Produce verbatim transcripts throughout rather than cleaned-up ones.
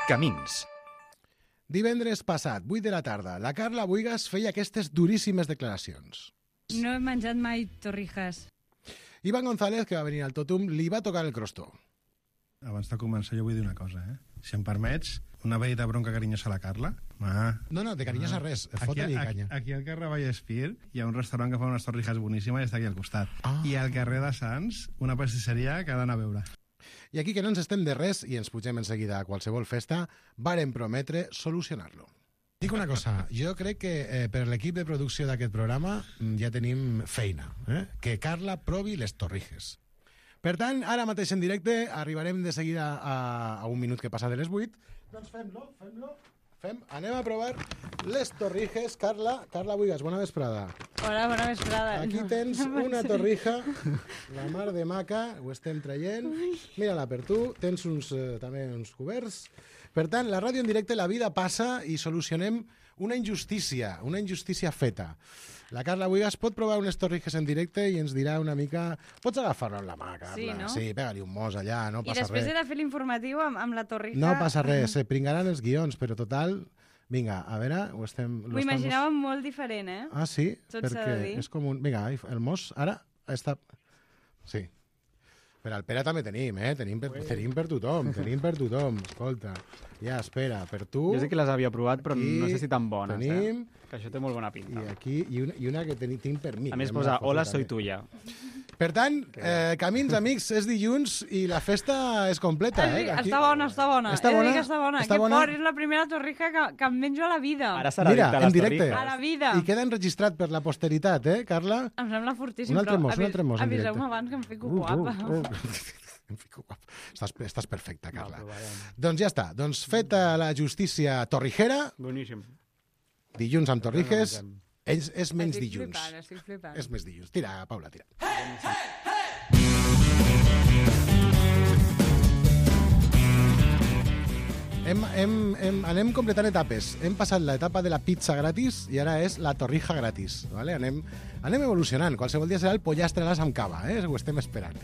Camins. Divendres passat, vuit de la tarda, la Carla Buigas feia aquestes duríssimes declaracions. No he menjat mai torrijas. Iván González, que va venir al Totum, li va tocar el crostó. Abans de començar jo vull dir una cosa, eh? Si em permets, una veïda bronca carinyosa a la Carla. Ah, No, no, de carinyós a res, fota-li aquí, canya. aquí al carrer Vallespir hi ha un restaurant que fa unes torrijas boníssimes i està aquí al costat. Ah. I al carrer de Sants, una pastisseria que ha d'anar a veure. I aquí que no ens estem de res i ens pugem enseguida a qualsevol festa, varen prometre solucionar-lo. Dic una cosa, jo crec que eh, per l'equip de producció d'aquest programa mm, ja tenim feina, eh? Que Carla provi les torrijes. Per tant, ara mateix en directe, arribarem de seguida a, a un minut que passa de les vuit. Doncs fem-lo, fem-lo. Fem, anem a provar les torrijes. Carla, Carla Buigas, bona vesprada. Hola, bona vesprada. Aquí tens una torrija, la mar de maca, ho estem traient. Mira-la per tu, tens uns, eh, també uns coberts. Per tant, la ràdio en directe, la vida passa i solucionem una injustícia, una injustícia feta. La Carla Buigas pot provar unes torrijes en directe i ens dirà una mica... Pots agafar-lo amb la mà, Carla. Sí, no? Sí, pega-li un mos allà, no I passa després res. he de fer l'informatiu amb, amb la torrija. No passa res, se pringaran els guions, però total... Vinga, a veure, ho estem... M'ho imaginava molt diferent, eh? Ah, sí? Tot s'ha Perquè de dir. és com un... Vinga, el mos ara està... Sí. Per al Pere també tenim, eh? Tenim per, tenim per tothom, tenim per tothom. Escolta, ja, espera, per tu... Jo sé que les havia provat, però Aquí no sé si tan bones, tenim, eh? Que això té molt bona pinta. I aquí, i una, i una que teni, tinc per mi. A més Hem posa, de fotre hola, també. soy tuya. Per tant, eh, camins, amics, és dilluns i la festa és completa, Ah, sí, eh? Aquí... està bona, està bona. Està He de dir bona? que està bona. Està que bona? fort, és la primera torrija que, que em menjo a la vida. Ara serà Mira, dicta en les directe. torrijas. A la vida. I queda enregistrat per la posteritat, eh, Carla? Em sembla fortíssim, Un altre però mos, un avi- altre mos en directe. aviseu-me abans que em fico guapa. Em fico guapa. Estàs, estàs perfecta, Carla. Va, provarem. Doncs ja està. Doncs feta la justícia torrijera, Boníssim. dilluns amb torrijes, No mengem. és, és menys Estic dilluns. flipant, estic flipant. És més dilluns. Tira, Paula, tira. Hem, hem, hem, anem completant etapes. Hem passat l'etapa de la pizza gratis i ara és la torrija gratis. Vale? Anem, anem evolucionant. Qualsevol dia serà el pollastre a l'as amb cava. Eh? Ho estem esperant.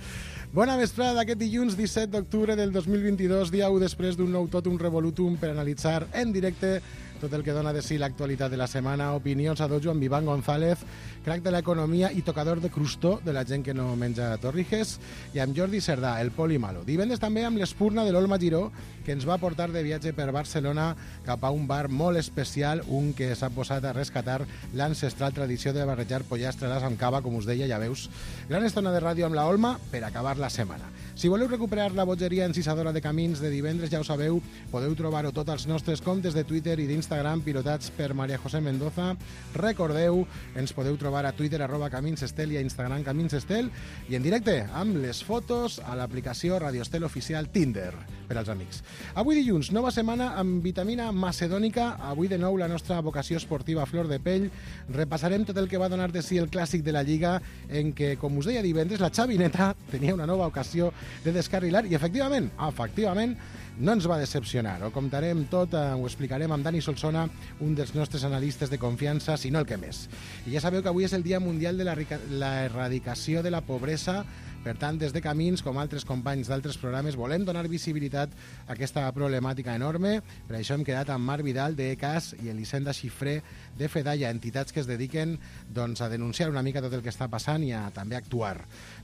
Bona vesprada d'aquest dilluns disset d'octubre del dos mil vint-i-dos, dia u després d'un nou totum revolutum per analitzar en directe tot el que dona de si l'actualitat de la setmana, opinions a dojo amb Iván González, crac de l'economia i tocador de crustó de la gent que no menja torrijes, i amb Jordi Cerdà, el poli malo. Divendres també amb l'espurna de l'Olma Giró, que ens va portar de viatge per Barcelona cap a un bar molt especial, un que s'ha posat a rescatar l'ancestral tradició de barrejar pollastre a l'as amb cava, com us deia, ja veus. Gran estona de ràdio amb la Olma per acabar la setmana. Si voleu recuperar la bogeria encisadora de camins de divendres, ja ho sabeu, podeu trobar-ho tot als nostres comptes de Twitter i d'Instagram pilotats per Maria José Mendoza. Recordeu, ens podeu trobar a Twitter arroba Camins Estel i a Instagram Camins Estel i en directe amb les fotos a l'aplicació Radio Estel Oficial Tinder per als amics. Avui dilluns, nova setmana amb vitamina macedònica. Avui de nou la nostra vocació esportiva a flor de pell. Repassarem tot el que va donar de si el clàssic de la Lliga en què, com us deia divendres, la Xavineta tenia una nova ocasió de descarrilar i efectivament, efectivament, no ens va decepcionar. Ho contarem tot, eh, ho explicarem amb Dani Solsona, un dels nostres analistes de confiança, si no el que més. I ja sabeu que avui és el Dia Mundial de la, la Erradicació de la Pobresa. Per tant, des de Camins, com altres companys d'altres programes, volem donar visibilitat a aquesta problemàtica enorme. Per això hem quedat amb Marc Vidal, de E C A S, i Elisenda Xifré, de Fedalla, entitats que es dediquen doncs, a denunciar una mica tot el que està passant i a també actuar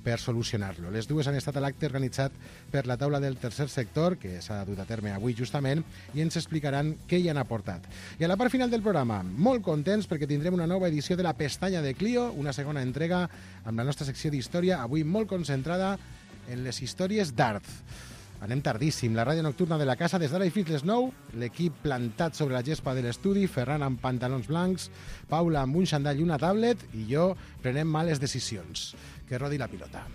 per solucionar-lo. Les dues han estat a l'acte organitzat per la taula del tercer sector, que s'ha dut a terme avui justament, i ens explicaran què hi han aportat. I a la part final del programa, molt contents perquè tindrem una nova edició de la Pestanya de Clio, una segona entrega amb la nostra secció d'història, avui molt concentrada en les històries d'art. Anem tardíssim, la ràdio nocturna de la casa des d'ara i fins les nou, l'equip plantat sobre la gespa de l'estudi, Ferran amb pantalons blancs, Paula amb un xandall i una tablet, i jo prenem males decisions. Que rodi la pilota.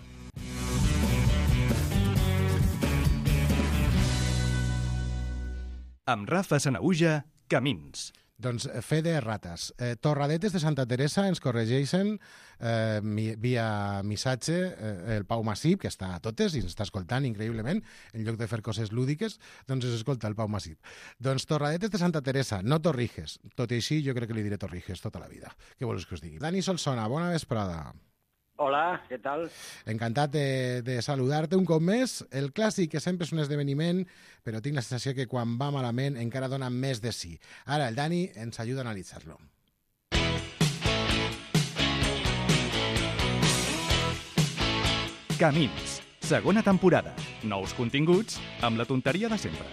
Amb Rafa Sanaüja, Camins. Doncs fe de rates. Eh, Torradetes de Santa Teresa ens corregeixen eh, mi, via missatge eh, el Pau Massip, que està a totes i ens està escoltant increïblement, en lloc de fer coses lúdiques, doncs es escolta el Pau Massip. Doncs Torradetes de Santa Teresa, no Torrijes. Tot i així, jo crec que li diré Torrijes tota la vida. Què vols que us digui? Dani Solsona, bona vesprada. Hola, què tal? Encantat de, de saludar-te un cop més. El clàssic, que sempre és un esdeveniment, però tinc la sensació que quan va malament encara dona més de sí. Ara el Dani ens ajuda a analitzar-lo. Camins, segona temporada. Nous continguts amb la tonteria de sempre.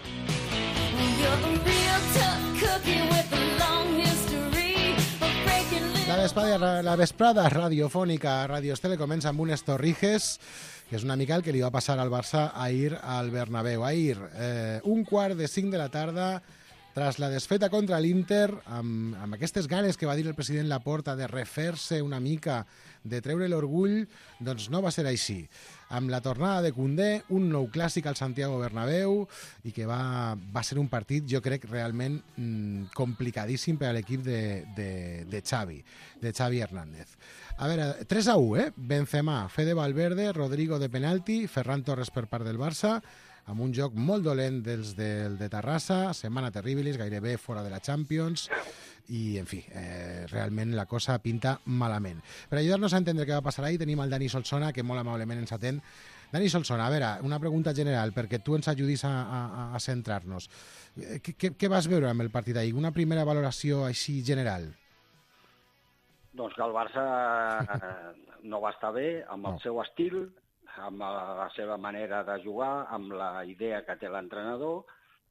La vesprada, la vesprada radiofònica a Radio Estela comença amb unes torrijes, que és una mica el que li va passar al Barça ahir al Bernabéu. Ahir, eh, un quart de cinc de la tarda, tras la desfeta contra l'Inter, amb, amb aquestes ganes que va dir el president Laporta de refer-se una mica, de treure l'orgull, doncs no va ser així. Amb la tornada de Koundé, un nou clàssic al Santiago Bernabéu, i que va, va ser un partit, jo crec, realment mmm, complicadíssim per a l'equip de, de, de Xavi, de Xavi Hernández. A veure, tres a u, eh? Benzema, Fede Valverde, Rodrigo de penalti, Ferran Torres per part del Barça, amb un joc molt dolent dels del de Terrassa, setmana terribilis, gairebé fora de la Champions, i, en fi, eh, realment la cosa pinta malament. Per ajudar-nos a entendre què va passar ahir, tenim el Dani Solsona, que molt amablement ens atén. Dani Solsona, a veure, una pregunta general, perquè tu ens ajudis a, a, a centrar-nos. Què, què, què vas veure amb el partit ahir? Una primera valoració així general? Doncs que el Barça no va estar bé amb el no. seu estil, amb la seva manera de jugar, amb la idea que té l'entrenador,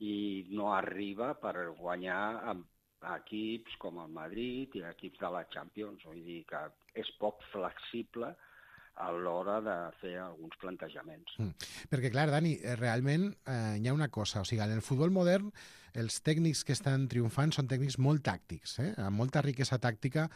i no arriba per guanyar amb equips com el Madrid i equips de la Champions. Vull dir que és poc flexible a l'hora de fer alguns plantejaments. Mm. Perquè, clar, Dani, realment eh, hi ha una cosa. O sigui, en el futbol modern, els tècnics que estan triomfant són tècnics molt tàctics, eh? amb molta riquesa tàctica,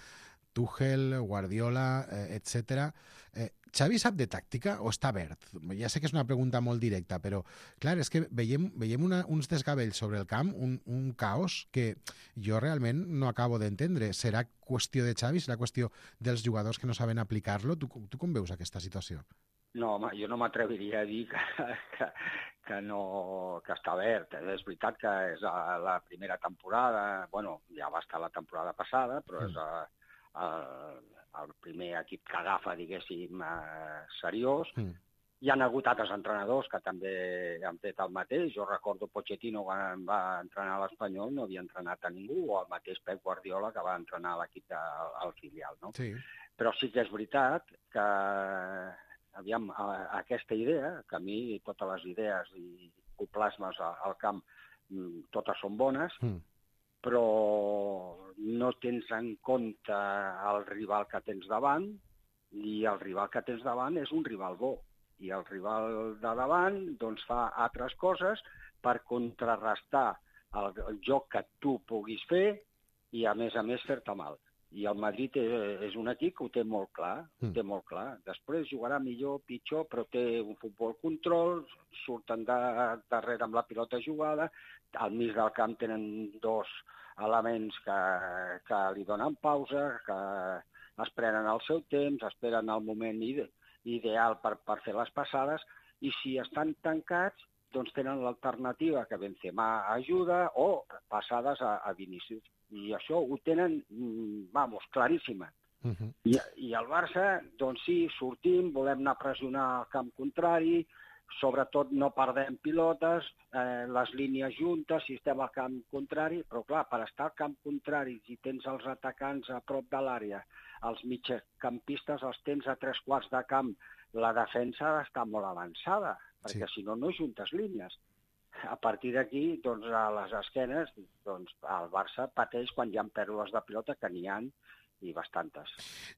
Tuchel, Guardiola, eh, etcètera. Eh, Xavi sap de tàctica o està verd? Ja sé que és una pregunta molt directa, però, clar, és que veiem, veiem una, uns desgavells sobre el camp, un, un caos que jo realment no acabo d'entendre. Serà qüestió de Xavi? Serà qüestió dels jugadors que no saben aplicar-lo? Tu, tu com veus aquesta situació? No, home, jo no m'atreviria a dir que, que, que, no, que està verd. És veritat que és la primera temporada, bueno, ja va estar la temporada passada, però és a, el, el primer equip que agafa, diguéssim, eh, seriós. Mm. Hi ha hagut altres entrenadors que també han fet el mateix. Jo recordo Pochettino, quan va entrenar a l'Espanyol, no havia entrenat a ningú, o el mateix Pep Guardiola, que va entrenar a l'equip de, al filial. No? Sí. Però sí que és veritat que, aviam, aquesta idea, que a mi totes les idees i plasmes al camp, totes són bones, mm. però no tens en compte el rival que tens davant, i el rival que tens davant és un rival bo. I el rival de davant doncs, fa altres coses per contrarrestar el, el joc que tu puguis fer i, a més a més, fer-te mal. I el Madrid és, és un equip que ho té molt clar, mm. ho té molt clar. Després jugarà millor, pitjor, però té un futbol control, surten de, darrere amb la pilota jugada, al mig del camp tenen dos elements que, que li donen pausa, que es prenen el seu temps, esperen el moment ide ideal per, per fer les passades, i si estan tancats, doncs tenen l'alternativa que Benzema ajuda o passades a, a Vinícius. I això ho tenen, vamos, claríssima. Uh -huh. I, I el Barça, doncs sí, sortim, volem anar a pressionar al camp contrari, sobretot no perdem pilotes, eh, les línies juntes, si estem al camp contrari, però clar, per estar al camp contrari, si tens els atacants a prop de l'àrea, els mitjacampistes els tens a tres quarts de camp, la defensa ha d'estar molt avançada, perquè sí. si no, no juntes línies. A partir d'aquí, doncs, a les esquenes, doncs, el Barça pateix quan hi ha pèrdues de pilota, que n'hi ha, i bastantes.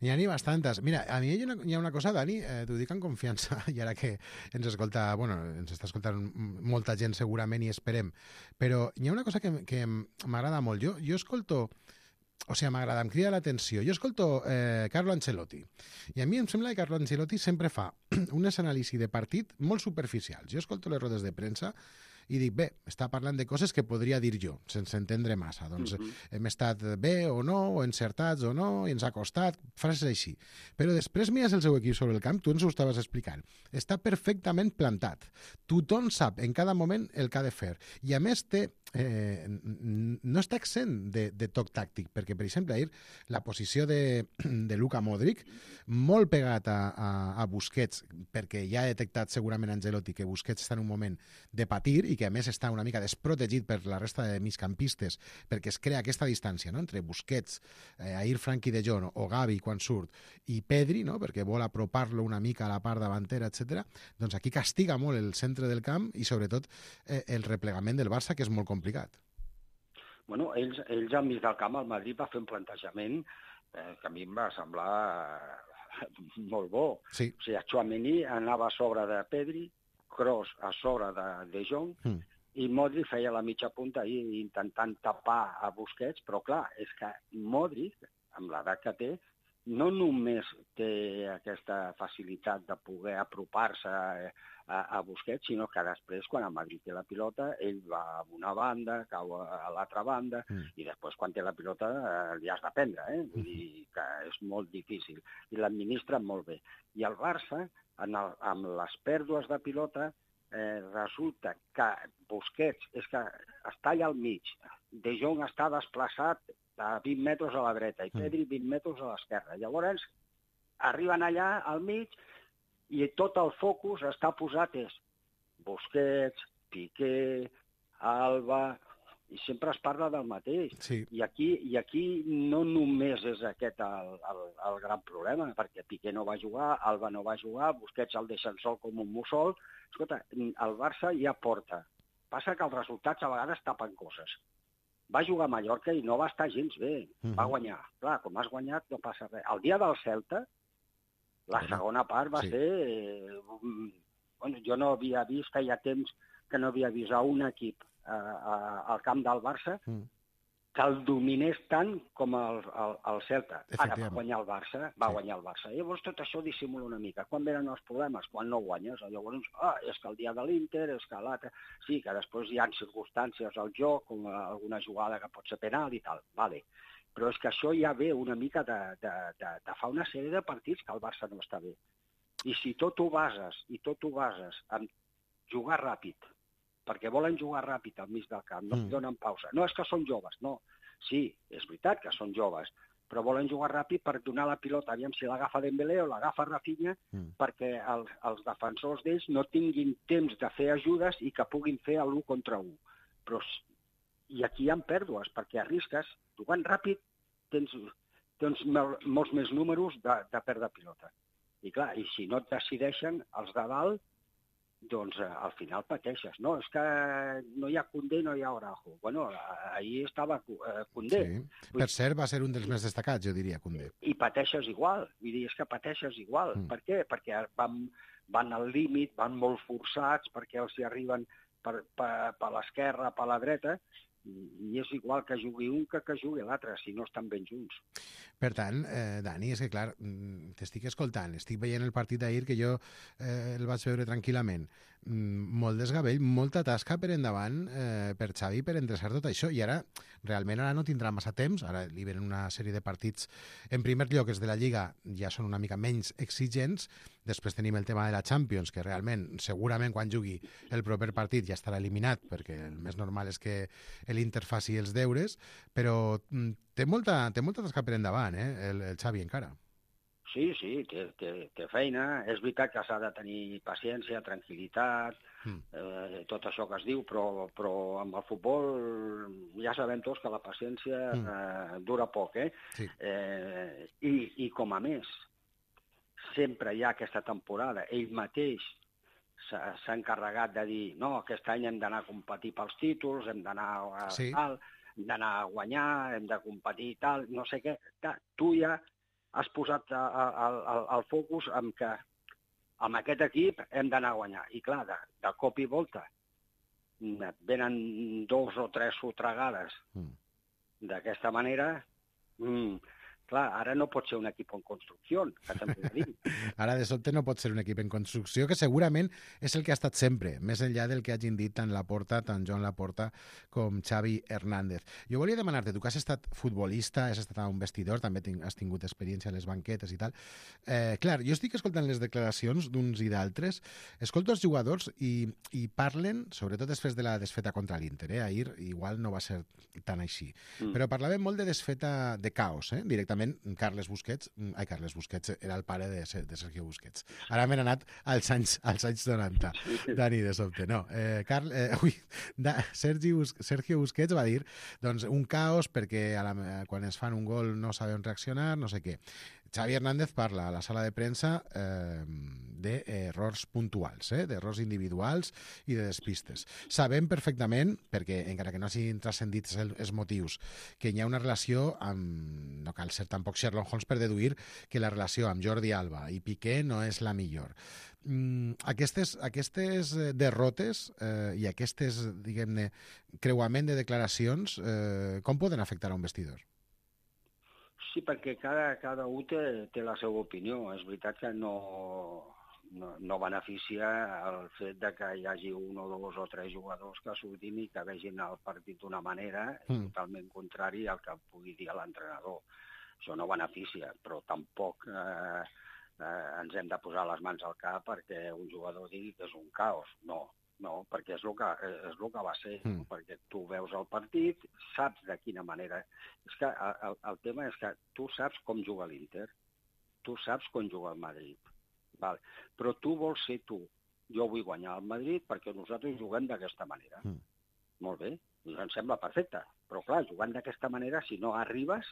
N'hi ha ni bastantes. Mira, a mi hi ha una, hi ha una cosa, Dani, eh, t'ho dic en confiança, i ara que ens escolta, bueno, ens està escoltant molta gent segurament i esperem, però hi ha una cosa que, que m'agrada molt. Jo, jo escolto, o sigui, m'agrada, em crida l'atenció. Jo escolto eh, Carlo Ancelotti, i a mi em sembla que Carlo Ancelotti sempre fa unes anàlisis de partit molt superficials. Jo escolto les rodes de premsa i dic, bé, està parlant de coses que podria dir jo, sense entendre massa. Doncs Mhm. hem estat bé o no, o encertats o no, i ens ha costat, frases així. Però després mires el seu equip sobre el camp, tu ens ho estaves explicant. Està perfectament plantat. Tothom sap en cada moment el que ha de fer. I a més té eh, no està exempt de, de toc tàctic, perquè, per exemple, ahir la posició de, de Luka Modric, molt pegat a, a, a Busquets, perquè ja ha detectat segurament Ancelotti que Busquets està en un moment de patir i que, a més, està una mica desprotegit per la resta de migcampistes, perquè es crea aquesta distància, no?, entre Busquets, eh, ahir Frenkie de Jong o Gavi quan surt, i Pedri, no?, perquè vol apropar-lo una mica a la part davantera, etcètera. Doncs aquí castiga molt el centre del camp i, sobretot, eh, el replegament del Barça, que és molt complicat. Bueno, ells, ells al mig del camp, el Madrid va fer un plantejament eh, que a mi em va semblar eh, molt bo. Sí. O sigui, Tchouaméni anava a sobre de Pedri, Kroos a sobre de De Jong, Mm. i Modric feia la mitja punta ahí intentant tapar a Busquets, però clar, és que Modric, amb l'edat que té, no només té aquesta facilitat de poder apropar-se a, a Busquets, sinó que després, quan el Madrid té la pilota, ell va a una banda, cau a l'altra banda, Mm. i després, quan té la pilota, eh, li has de prendre, eh? Vull dir que és molt difícil. I l'administra molt bé. I el Barça, en el, amb les pèrdues de pilota, eh, resulta que Busquets és que està allà al mig, De Jong està desplaçat a vint metres a la dreta i Pedri vint metres a l'esquerra. Llavors, arriben allà al mig i tot el focus està posat és Busquets, Piqué, Alba, i sempre es parla del mateix. Sí. I aquí, i aquí no només és aquest el, el, el gran problema, perquè Piqué no va jugar, Alba no va jugar, Busquets el deixen sol com un mussol. Escolta, el Barça ja porta. Passa que els resultats a vegades tapen coses. Va jugar a Mallorca i no va estar gens bé. Mhm. Va guanyar. Clar, com has guanyat no passa res. El dia del Celta, la Bueno, segona part va sí. ser... Eh, un- bueno, jo no havia vist, feia temps que no havia vist a un equip eh, a, al camp del Barça Mm. que el dominés tant com el, el, el Celta. Ara va Efectivament. guanyar el Barça, va Sí. guanyar el Barça. Llavors tot això dissimula una mica. Quan venen els problemes? Quan no guanyes. Llavors, ah, és que el dia de l'Inter, és que l'altre... Sí, que després hi ha circumstàncies al joc, com alguna jugada que pot ser penal i tal, vale. Però és que això ja ve una mica de, de, de, de fa una sèrie de partits que el Barça no està bé. I si tot ho bases, i tot ho bases en jugar ràpid, perquè volen jugar ràpid al mig del camp, no Mm. mm. donen pausa. No és que són joves, no. Sí, és veritat que són joves, però volen jugar ràpid per donar la pilota, aviam si l'agafa Dembélé o l'agafa Rafinha, Mm. perquè els, els defensors d'ells no tinguin temps de fer ajudes i que puguin fer l'u contra u. Però, s- I aquí hi ha pèrdues, perquè arrisques, jugant ràpid, tens, tens mol, molts més números de, de perdre pilota. I clar, i si no et decideixen els de dalt, doncs eh, al final pateixes. No, és que no hi ha Koundé, no hi ha Araujo. Bueno, eh, ahir estava eh, Koundé. Sí. Per cert, va ser un dels més destacats, jo diria, Koundé. I pateixes igual. Vull dir, és que pateixes igual. Mm. Mm. Per què? Perquè van, van al límit, van molt forçats, perquè els hi arriben per, per, per l'esquerra, per la dreta, i, i és igual que jugui un que que jugui l'altre, si no estan ben junts. Per tant, eh, Dani, és que clar, mm, t'estic escoltant, estic veient el partit d'ahir que jo eh, el vaig veure tranquil·lament. Mm, molt desgavell, molta tasca per endavant eh, per Xavi per endreçar tot això, i ara realment ara no tindrà massa temps, ara li venen una sèrie de partits, en primer lloc els de la Lliga ja són una mica menys exigents, després tenim el tema de la Champions, que realment, segurament quan jugui el proper partit ja estarà eliminat, perquè el més normal és que l'Inter faci els deures, però mm, té molta, té molta tasca per endavant, eh, el, el Xavi encara. Sí, sí, té, té, té feina. És veritat que s'ha de tenir paciència, tranquil·litat, Mm. eh, tot això que es diu, però, però amb el futbol ja sabem tots que la paciència Mm. eh, dura poc, eh? Sí. eh i, I com a més, sempre hi ha aquesta temporada, ell mateix s'ha s'ha encarregat de dir no, aquest any hem d'anar a competir pels títols, hem d'anar a Sí. tal, hem d'anar a guanyar, hem de competir i tal, no sé què. Clar, tu ja has posat el focus en que amb aquest equip hem d'anar a guanyar. I clar, de, de cop i volta et venen dos o tres sotregades Mm. d'aquesta manera, mm, clar, ara no pot ser un equip en construcció, que també ho dic. Ara, de sobte, no pot ser un equip en construcció, que segurament és el que ha estat sempre, més enllà del que hagin dit tant Laporta, tant Joan Laporta, com Xavi Hernández. Jo volia demanar-te, tu que has estat futbolista, has estat a un vestidor, també ting has tingut experiència a les banquetes i tal. Eh, clar, jo estic escoltant les declaracions d'uns i d'altres, escolto els jugadors i, i parlen, sobretot després de la desfeta contra l'Inter, eh? Ahir igual no va ser tan així, mm. però parlaven molt de desfeta de caos, eh? Directament Carles Busquets, ai, Carles Busquets era el pare de, de Sergio Busquets. Ara m'he anat als anys, als anys noranta, Dani, de sobte. No, eh, Carl, eh, ui, da, Sergi Bus Sergio Busquets va dir doncs, un caos perquè a la, quan es fan un gol no saben reaccionar, no sé què. Xavi Hernández parla a la sala de premsa eh, d'errors puntuals, eh, d'errors individuals i de despistes. Sabem perfectament, perquè encara que no hagin transcendit els motius, que hi ha una relació amb... No cal ser tampoc Sherlock Holmes per deduir que la relació amb Jordi Alba i Piqué no és la millor. Mm, aquestes, aquestes derrotes eh, i aquestes, diguem-ne, creuament de declaracions, eh, com poden afectar a un vestidor? Sí, perquè cada, cada un té, té la seva opinió. És veritat que no, no, no beneficia el fet de que hi hagi un o dos o tres jugadors que surtin i que vegin el partit d'una manera mm. totalment contrari al que pugui dir l'entrenador. Això no beneficia, però tampoc eh, eh, ens hem de posar les mans al cap perquè un jugador digui que és un caos. No. No, perquè és el que, és el que va ser, mm. perquè tu veus el partit, saps de quina manera... És que el, el tema és que tu saps com juga l'Inter, tu saps com juga el Madrid, val? Però tu vols ser tu. Jo vull guanyar el Madrid perquè nosaltres juguem d'aquesta manera. Mm. Molt bé, em sembla perfecte, però clar, jugant d'aquesta manera, si no arribes,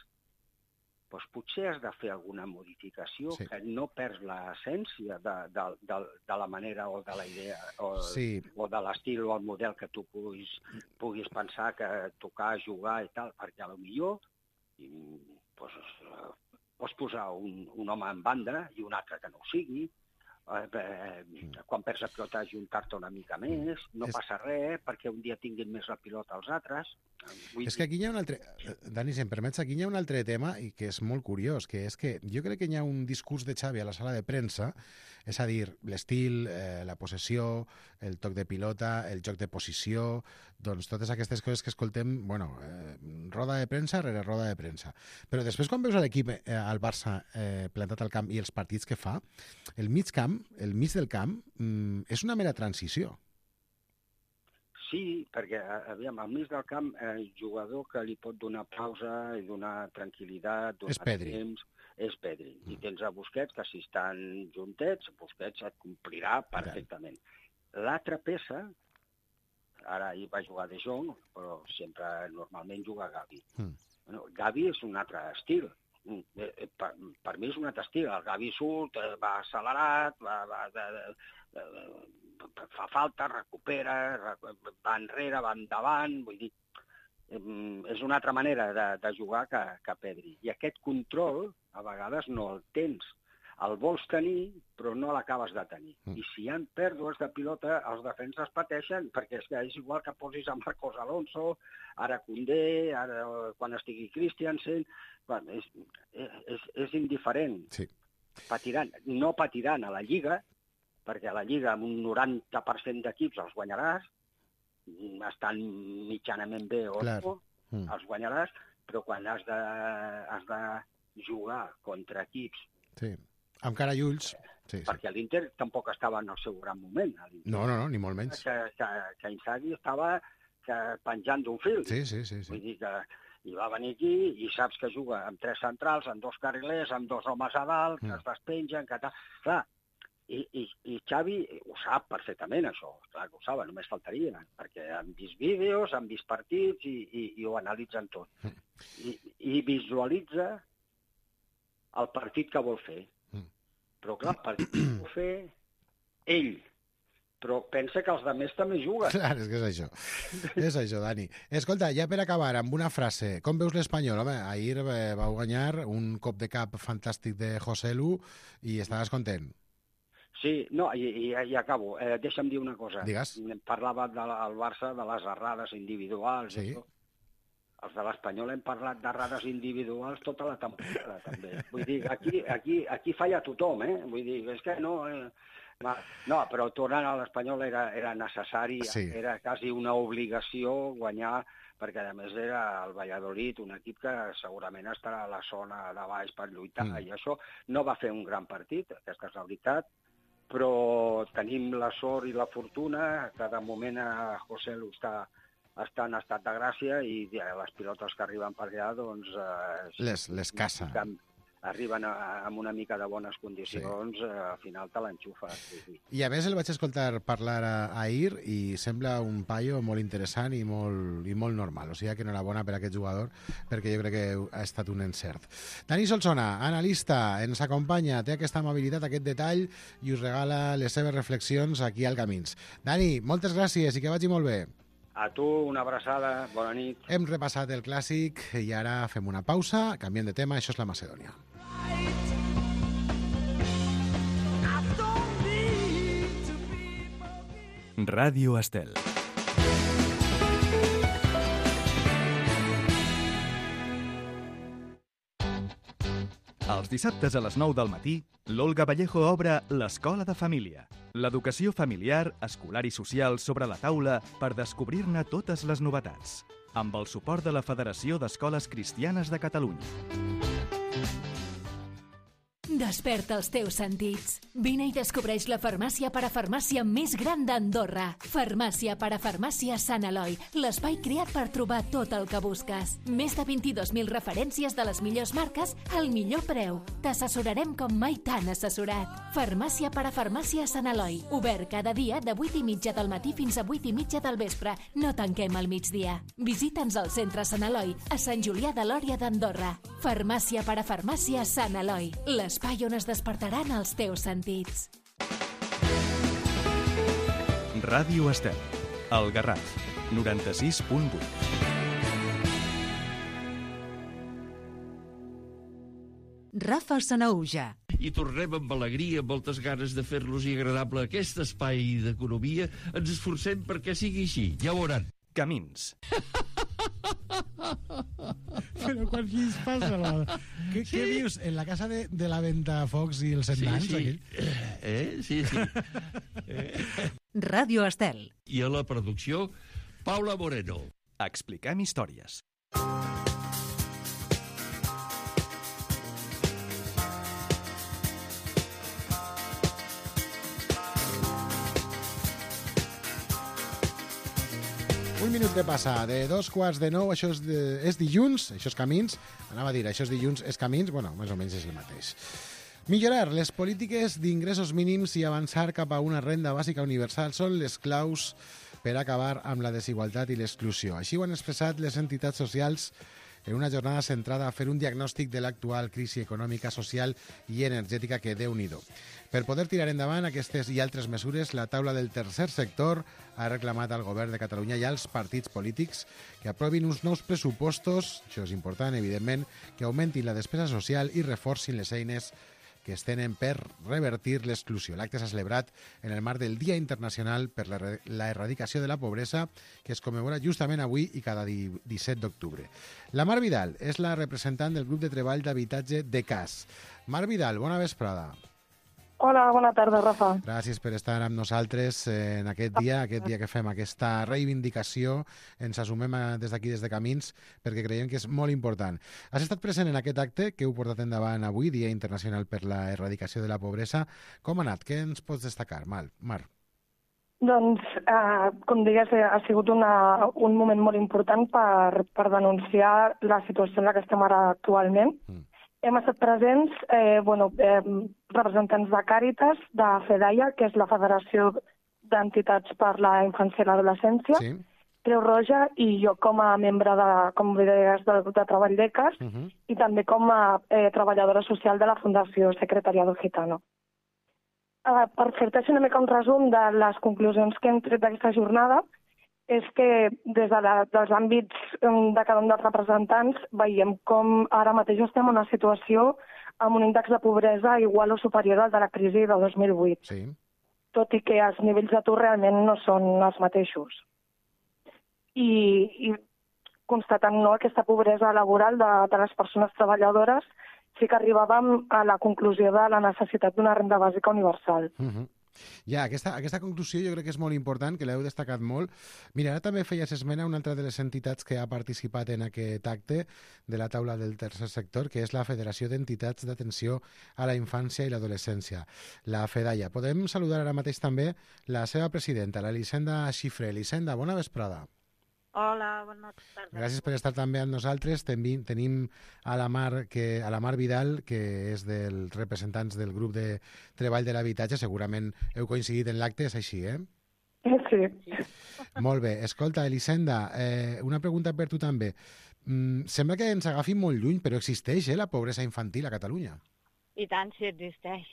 doncs potser has de fer alguna modificació sí. que no perds l'essència de, de, de, de la manera o de la idea o, sí. o de l'estil o el model que tu puguis, puguis pensar que tocar, jugar i tal, perquè a lo millor doncs, pots posar un, un home en banda i un altre que no ho sigui, eh, eh, quan perds la pilota ajuntar-te una mica més, no és... passa res, perquè un dia tinguin més la pilota els altres. Vull és que aquí hi ha un altre... Dani, si em permets, aquí hi ha un altre tema i que és molt curiós, que és que jo crec que hi ha un discurs de Xavi a la sala de premsa, és a dir, l'estil, eh, la possessió, el toc de pilota, el joc de posició, doncs totes aquestes coses que escoltem, bueno, eh, roda de premsa rere roda de premsa. Però després quan veus l'equip, eh, al Barça, eh, plantat al camp i els partits que fa, el mig camp, el mig del camp, mm, és una mera transició. Sí, perquè, aviam, al mig del camp, el jugador que li pot donar pausa i donar tranquil·litat, donar és Pedri. temps, és Pedri. Mm. I tens a Busquets, que si estan juntets, Busquets et complirà perfectament. L'altra peça, ara hi va jugar De Jong, però sempre normalment juga Gavi. Mm. Bueno, Gavi és un altre estil. Per, per mi és un altre estil. El Gavi surt, va accelerat, va... va de, de, de, fa falta, recupera, va enrere, va endavant, vull dir, és una altra manera de, de jugar que, que Pedri. I aquest control, a vegades, no el tens. El vols tenir, però no l'acabes de tenir. Mm. I si hi ha pèrdues de pilota, els defenses pateixen, perquè és, que és igual que posis a Marcos Alonso, ara Koundé, ara quan estigui Christiansen, bueno, és, és, és indiferent. Sí. Patiran, no patiran a la Lliga, perquè a la Lliga amb un noranta per cent d'equips els guanyaràs, estan mitjanament bé o no, mm. els guanyaràs, però quan has de, has de jugar contra equips... Sí, amb cara i ulls... Sí, perquè sí. l'Inter tampoc estava en el seu gran moment. No, no, no, ni molt menys. Que, que, que Inzaghi estava que, penjant d'un fil. Sí, sí, sí, sí. Vull dir que i va venir aquí i saps que juga amb tres centrals, amb dos carrilers, amb dos homes a dalt, que mm. es despengen, que tal... Clar, I, i, i Xavi ho sap perfectament, això. Clar que ho saben, només faltaria, perquè han vist vídeos, han vist partits i, i, i ho analitzen tot. I, i visualitza el partit que vol fer. Però clar, el partit que vol fer ell. Però pensa que els altres també juguen. Clar, és que és això. És això, Dani. Escolta, ja per acabar, amb una frase. Com veus l'Espanyol? Home, ahir vau guanyar un cop de cap fantàstic de José Lu i estaves content. Sí, no, i, i, i acabo. Eh, deixa'm dir una cosa. Digues. Parlava del Barça de les errades individuals. Sí. I tot. els de l'Espanyol hem parlat d'errades individuals tota la temporada, també. Vull dir, aquí, aquí, aquí falla tothom, eh? Vull dir, és que no... Eh... No, però tornant a l'Espanyol era, era necessari, sí. Era quasi una obligació guanyar, perquè a més era el Valladolid, un equip que segurament estarà a la zona de baix per lluitar, mm. i això no va fer un gran partit, aquesta és la veritat, però tenim la sort i la fortuna que de moment a José Lu està, està en estat de gràcia i les pilotes que arriben per allà, doncs... Eh, les, les caça. Arriben a, amb una mica de bones condicions, sí. eh, al final te l'enxufa. Sí, sí. I a més el vaig escoltar parlar a, ahir i sembla un paio molt interessant i molt, i molt normal. O sigui que enhorabona per a aquest jugador, perquè jo crec que ha estat un encert. Dani Solsona, analista, ens acompanya, té aquesta amabilitat, aquest detall i us regala les seves reflexions aquí al Camins. Dani, moltes gràcies i que vagi molt bé. A tu, una abraçada, bona nit. Hem repassat el clàssic i ara fem una pausa, canviem de tema, això és la Macedònia. Ràdio Estel. Els dissabtes a les nou del matí, l'Olga Vallejo obre l'Escola de Família. L'educació familiar, escolar i social sobre la taula per descobrir-ne totes les novetats. Amb el suport de la Federació d'Escoles Cristianes de Catalunya. Desperta els teus sentits. Vine i descobreix la farmàcia parafarmàcia més gran d'Andorra. Farmàcia parafarmàcia Sant Eloi, l'espai creat per trobar tot el que busques. Més de vint-i-dos mil referències de les millors marques al millor preu. T'assessorarem com mai t'han assessorat. Farmàcia parafarmàcia Sant Eloi. Obert cada dia de vuit i mitja del matí fins a vuit i mitja del vespre. No tanquem al migdia. Visita'ns al centre Sant Eloi, a Sant Julià de Lòria d'Andorra. Farmàcia parafarmàcia Sant Eloi. L'espai on es despertaran els teus sentits. Ràdio Estel, el Garraf, noranta-sis punt vuit. Rafa Sanaüja. I tornem amb alegria, amb moltes ganes de fer-los agradable aquest espai d'economia. Ens esforcem perquè sigui així, ja ho veuran. Camins. Però quan qui es passa? La... Què, sí. Què dius? En la casa de, de la Ventafocs i els Setmans? Sí, sí. Aquell? Eh? Sí, sí. Eh? Ràdio Estel. I a la producció, Paula Moreno. Expliquem històries. Un minut de passar, de dos quarts de nou, això és, de, és dilluns, això és Camins, anava a dir, això és dilluns, és Camins, bueno, més o menys és el mateix. Millorar les polítiques d'ingressos mínims i avançar cap a una renda bàsica universal són les claus per acabar amb la desigualtat i l'exclusió. Així ho han expressat les entitats socials en una jornada centrada a fer un diagnòstic de l'actual crisi econòmica, social i energètica que Déu-n'hi-do. Per poder tirar endavant aquestes i altres mesures, la taula del tercer sector ha reclamat al govern de Catalunya i als partits polítics que aprovin uns nous pressupostos, això és important, evidentment, que augmentin la despesa social i reforcin les eines que es tenen per revertir l'exclusió. L'acte s'ha celebrat en el marc del Dia Internacional per la Erradicació de la Pobresa, que es commemora justament avui i cada disset d'octubre. La Mar Vidal és la representant del grup de treball d'habitatge de C A S. Mar Vidal, bona vesprada. Hola, bona tarda, Rafa. Gràcies per estar amb nosaltres en aquest dia, aquest dia que fem aquesta reivindicació. Ens assumem des d'aquí, des de Camins, perquè creiem que és molt important. Has estat present en aquest acte que heu portat endavant avui, Dia Internacional per la Erradicació de la Pobresa. Com ha anat? Què ens pots destacar, Mar? Doncs, eh, com digues, ha sigut una, un moment molt important per, per denunciar la situació en la que estem ara actualment. Mm. Hem estat presents eh, bueno, eh, representants de Càritas, de FEDAIA, que és la Federació d'Entitats per la Infància i l'Adolescència, sí. Creu Roja, i jo com a membre de, com deies, del grup de treball d'E C A S, uh-huh. i també com a eh, treballadora social de la Fundació Secretariado Gitano. Eh, per fer-te una mica un resum de les conclusions que hem tret d'aquesta jornada, és que des de la, dels àmbits de cada un dels representants veiem com ara mateix estem en una situació amb un índex de pobresa igual o superior al de la crisi de dos mil vuit, sí. Tot i que els nivells d'atur realment no són els mateixos. I, i constatant no, aquesta pobresa laboral de, de les persones treballadores, sí que arribàvem a la conclusió de la necessitat d'una renda bàsica universal. Uh-huh. Ja, aquesta, aquesta conclusió jo crec que és molt important, que l'heu destacat molt. Mira, ara també feies esmena a una altra de les entitats que ha participat en aquest acte de la taula del tercer sector, que és la Federació d'Entitats d'Atenció a la Infància i l'Adolescència, la FEDAIA. Podem saludar ara mateix també la seva presidenta, l'Elisenda Xifré. Elisenda, bona vesprada. Hola, bona tarda. Gràcies per estar també amb nosaltres. Tenim, tenim a, la Mar, que, a la Mar Vidal, que és dels representants del grup de treball de l'habitatge. Segurament heu coincidit en l'acte, és així, eh? Sí. Molt bé. Escolta, Elisenda, eh, una pregunta per tu també. Mm, sembla que ens agafi molt lluny, però existeix eh, la pobresa infantil a Catalunya. I tant, sí, existeix.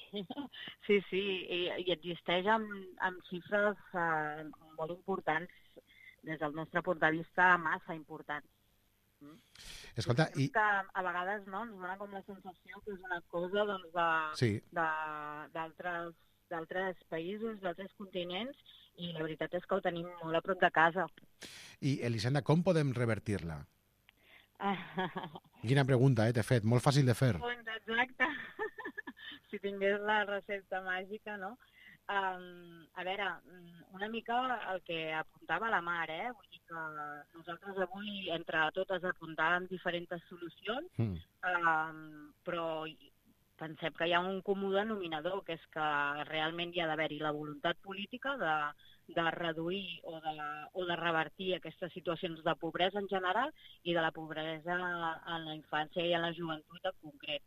Sí, sí, i, i existeix amb, amb xifres eh, molt importants des del nostre punt de vista, massa importants. Mm? Escolta, i... Que a vegades no, ens dona com la sensació que és una cosa doncs, de, sí. de, d'altres, d'altres països, d'altres continents, i la veritat és que ho tenim molt a prop de casa. I, Elisenda, com podem revertir-la? Quina pregunta, eh, t'he fet. Molt fàcil de fer. Exacte. Si tingués la recepta màgica, no? Um, a veure, una mica el que apuntava la Mar, eh? Vull dir que nosaltres avui, entre totes, apuntàvem diferents solucions, mm. um, però pensem que hi ha un comú denominador, que és que realment hi ha d'haver-hi la voluntat política de, de reduir o de, o de revertir aquestes situacions de pobresa en general i de la pobresa en la infància i en la joventut en concret,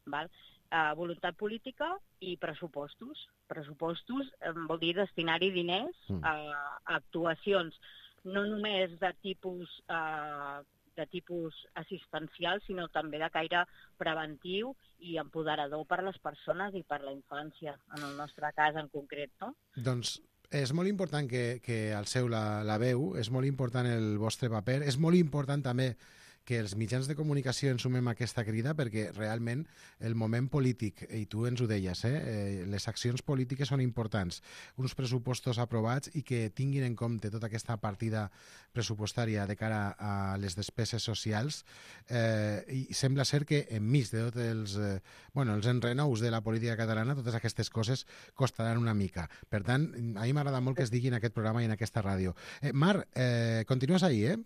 val? Uh, voluntat política i pressupostos. Pressupostos eh, vol dir destinar-hi diners mm. a, a actuacions no només de tipus, uh, de tipus assistencial, sinó també de caire preventiu i empoderador per a les persones i per a la infància, en el nostre cas en concret, no? Doncs és molt important que, que alceu la, la veu, és molt important el vostre paper, és molt important també que els mitjans de comunicació ensumem aquesta crida perquè realment el moment polític, i tu ens ho deies, eh, les accions polítiques són importants, uns pressupostos aprovats i que tinguin en compte tota aquesta partida pressupostària de cara a les despeses socials eh, i sembla ser que enmig de tots els, eh, bueno, els enrenous de la política catalana, totes aquestes coses costaran una mica. Per tant, a mi m'agrada molt que es digui en aquest programa i en aquesta ràdio. Eh, Mar, eh, continues ahí, eh?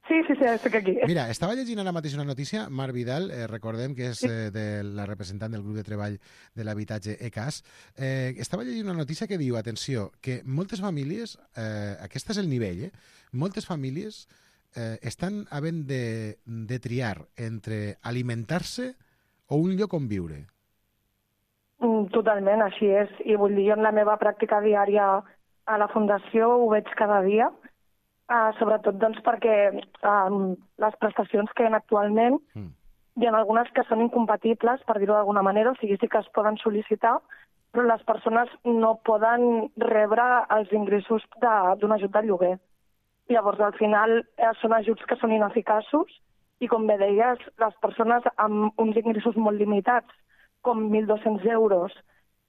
Sí, sí, sí, estic aquí. Mira, estava llegint ara mateix una notícia, Mar Vidal, eh, recordem que és eh, de la representant del grup de treball de l'habitatge E C A S, eh, estava llegint una notícia que diu, atenció, que moltes famílies, eh, aquest és el nivell, eh, moltes famílies eh, estan havent de, de triar entre alimentar-se o un lloc on viure. Totalment, així és. I vull dir, jo en la meva pràctica diària a la Fundació ho veig cada dia, uh, sobretot doncs, perquè um, les prestacions que hi ha actualment mm. hi ha algunes que són incompatibles, per dir-ho d'alguna manera, o sigui, sí que es poden sol·licitar, però les persones no poden rebre els ingressos d'un ajut de lloguer. Llavors, al final, eh, són ajuts que són ineficaços i, com bé deies, les persones amb uns ingressos molt limitats, com mil dos-cents euros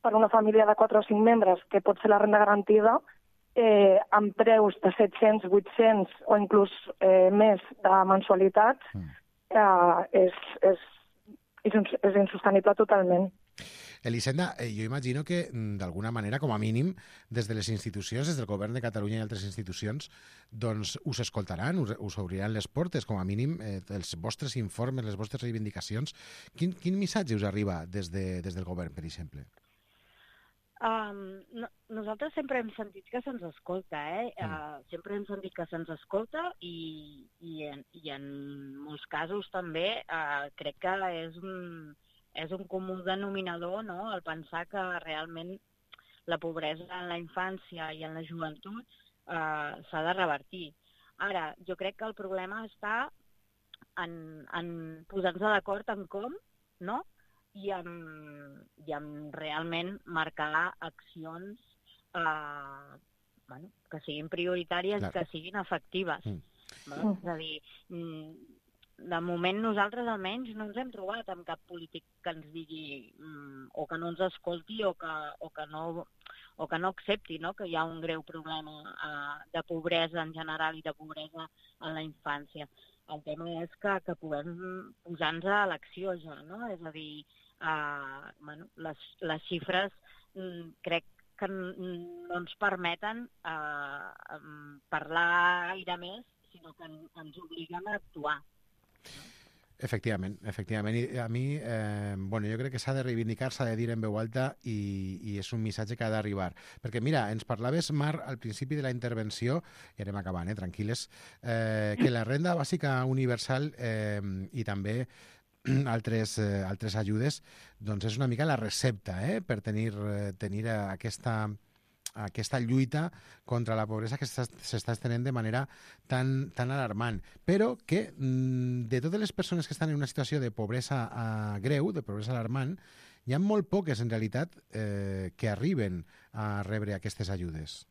per una família de quatre o cinc membres, que pot ser la renda garantida, eh, amb preus de set-cents, vuit-cents o inclús eh, més de mensualitats, eh, és, és, és, és insostenible totalment. Elisenda, eh, jo imagino que, d'alguna manera, com a mínim, des de les institucions, des del Govern de Catalunya i altres institucions, doncs us escoltaran, us, us obriran les portes, com a mínim, eh, els vostres informes, les vostres reivindicacions. Quin, quin missatge us arriba des, de, des del Govern, per exemple? Um, no, nosaltres sempre hem sentit que se'ns escolta, eh? Mm. Uh, sempre hem sentit que se'ns escolta i, i, en, i en molts casos també uh, crec que és un... és un comú denominador, no?, el pensar que realment la pobresa en la infància i en la joventut eh, s'ha de revertir. Ara, jo crec que el problema està en, en posar-nos d'acord en com, no?, i en, i en realment marcar accions eh, bueno, que siguin prioritàries, claro, que siguin efectives. Mm. No? És a dir, de moment nosaltres almenys no ens hem trobat amb cap polític que ens digui mm, o que no ens escolti o que, o que, no, o que no accepti, no?, que hi ha un greu problema uh, de pobresa en general i de pobresa en la infància. El tema és que, que puguem posar-nos a l'acció ja, no? És a dir, uh, bueno, les, les xifres mm, crec que no ens permeten uh, parlar gaire més, sinó que ens obliguen a actuar. Efectivament, efectivament. I a mi, eh, bueno, jo crec que s'ha de reivindicar, s'ha de dir en veu alta i, i és un missatge que ha d'arribar. Perquè, mira, ens parlaves, Mar, al principi de la intervenció, i anem acabant, eh, tranquil·les, eh, que la renda bàsica universal eh, i també altres, eh, altres ajudes, doncs és una mica la recepta eh, per tenir, eh, tenir aquesta... aquesta lluita contra la pobresa que s'està estenent de manera tan, tan alarmant. Però que de totes les persones que estan en una situació de pobresa uh, greu, de pobresa alarmant, hi ha molt poques, en realitat, eh, que arriben a rebre aquestes ajudes.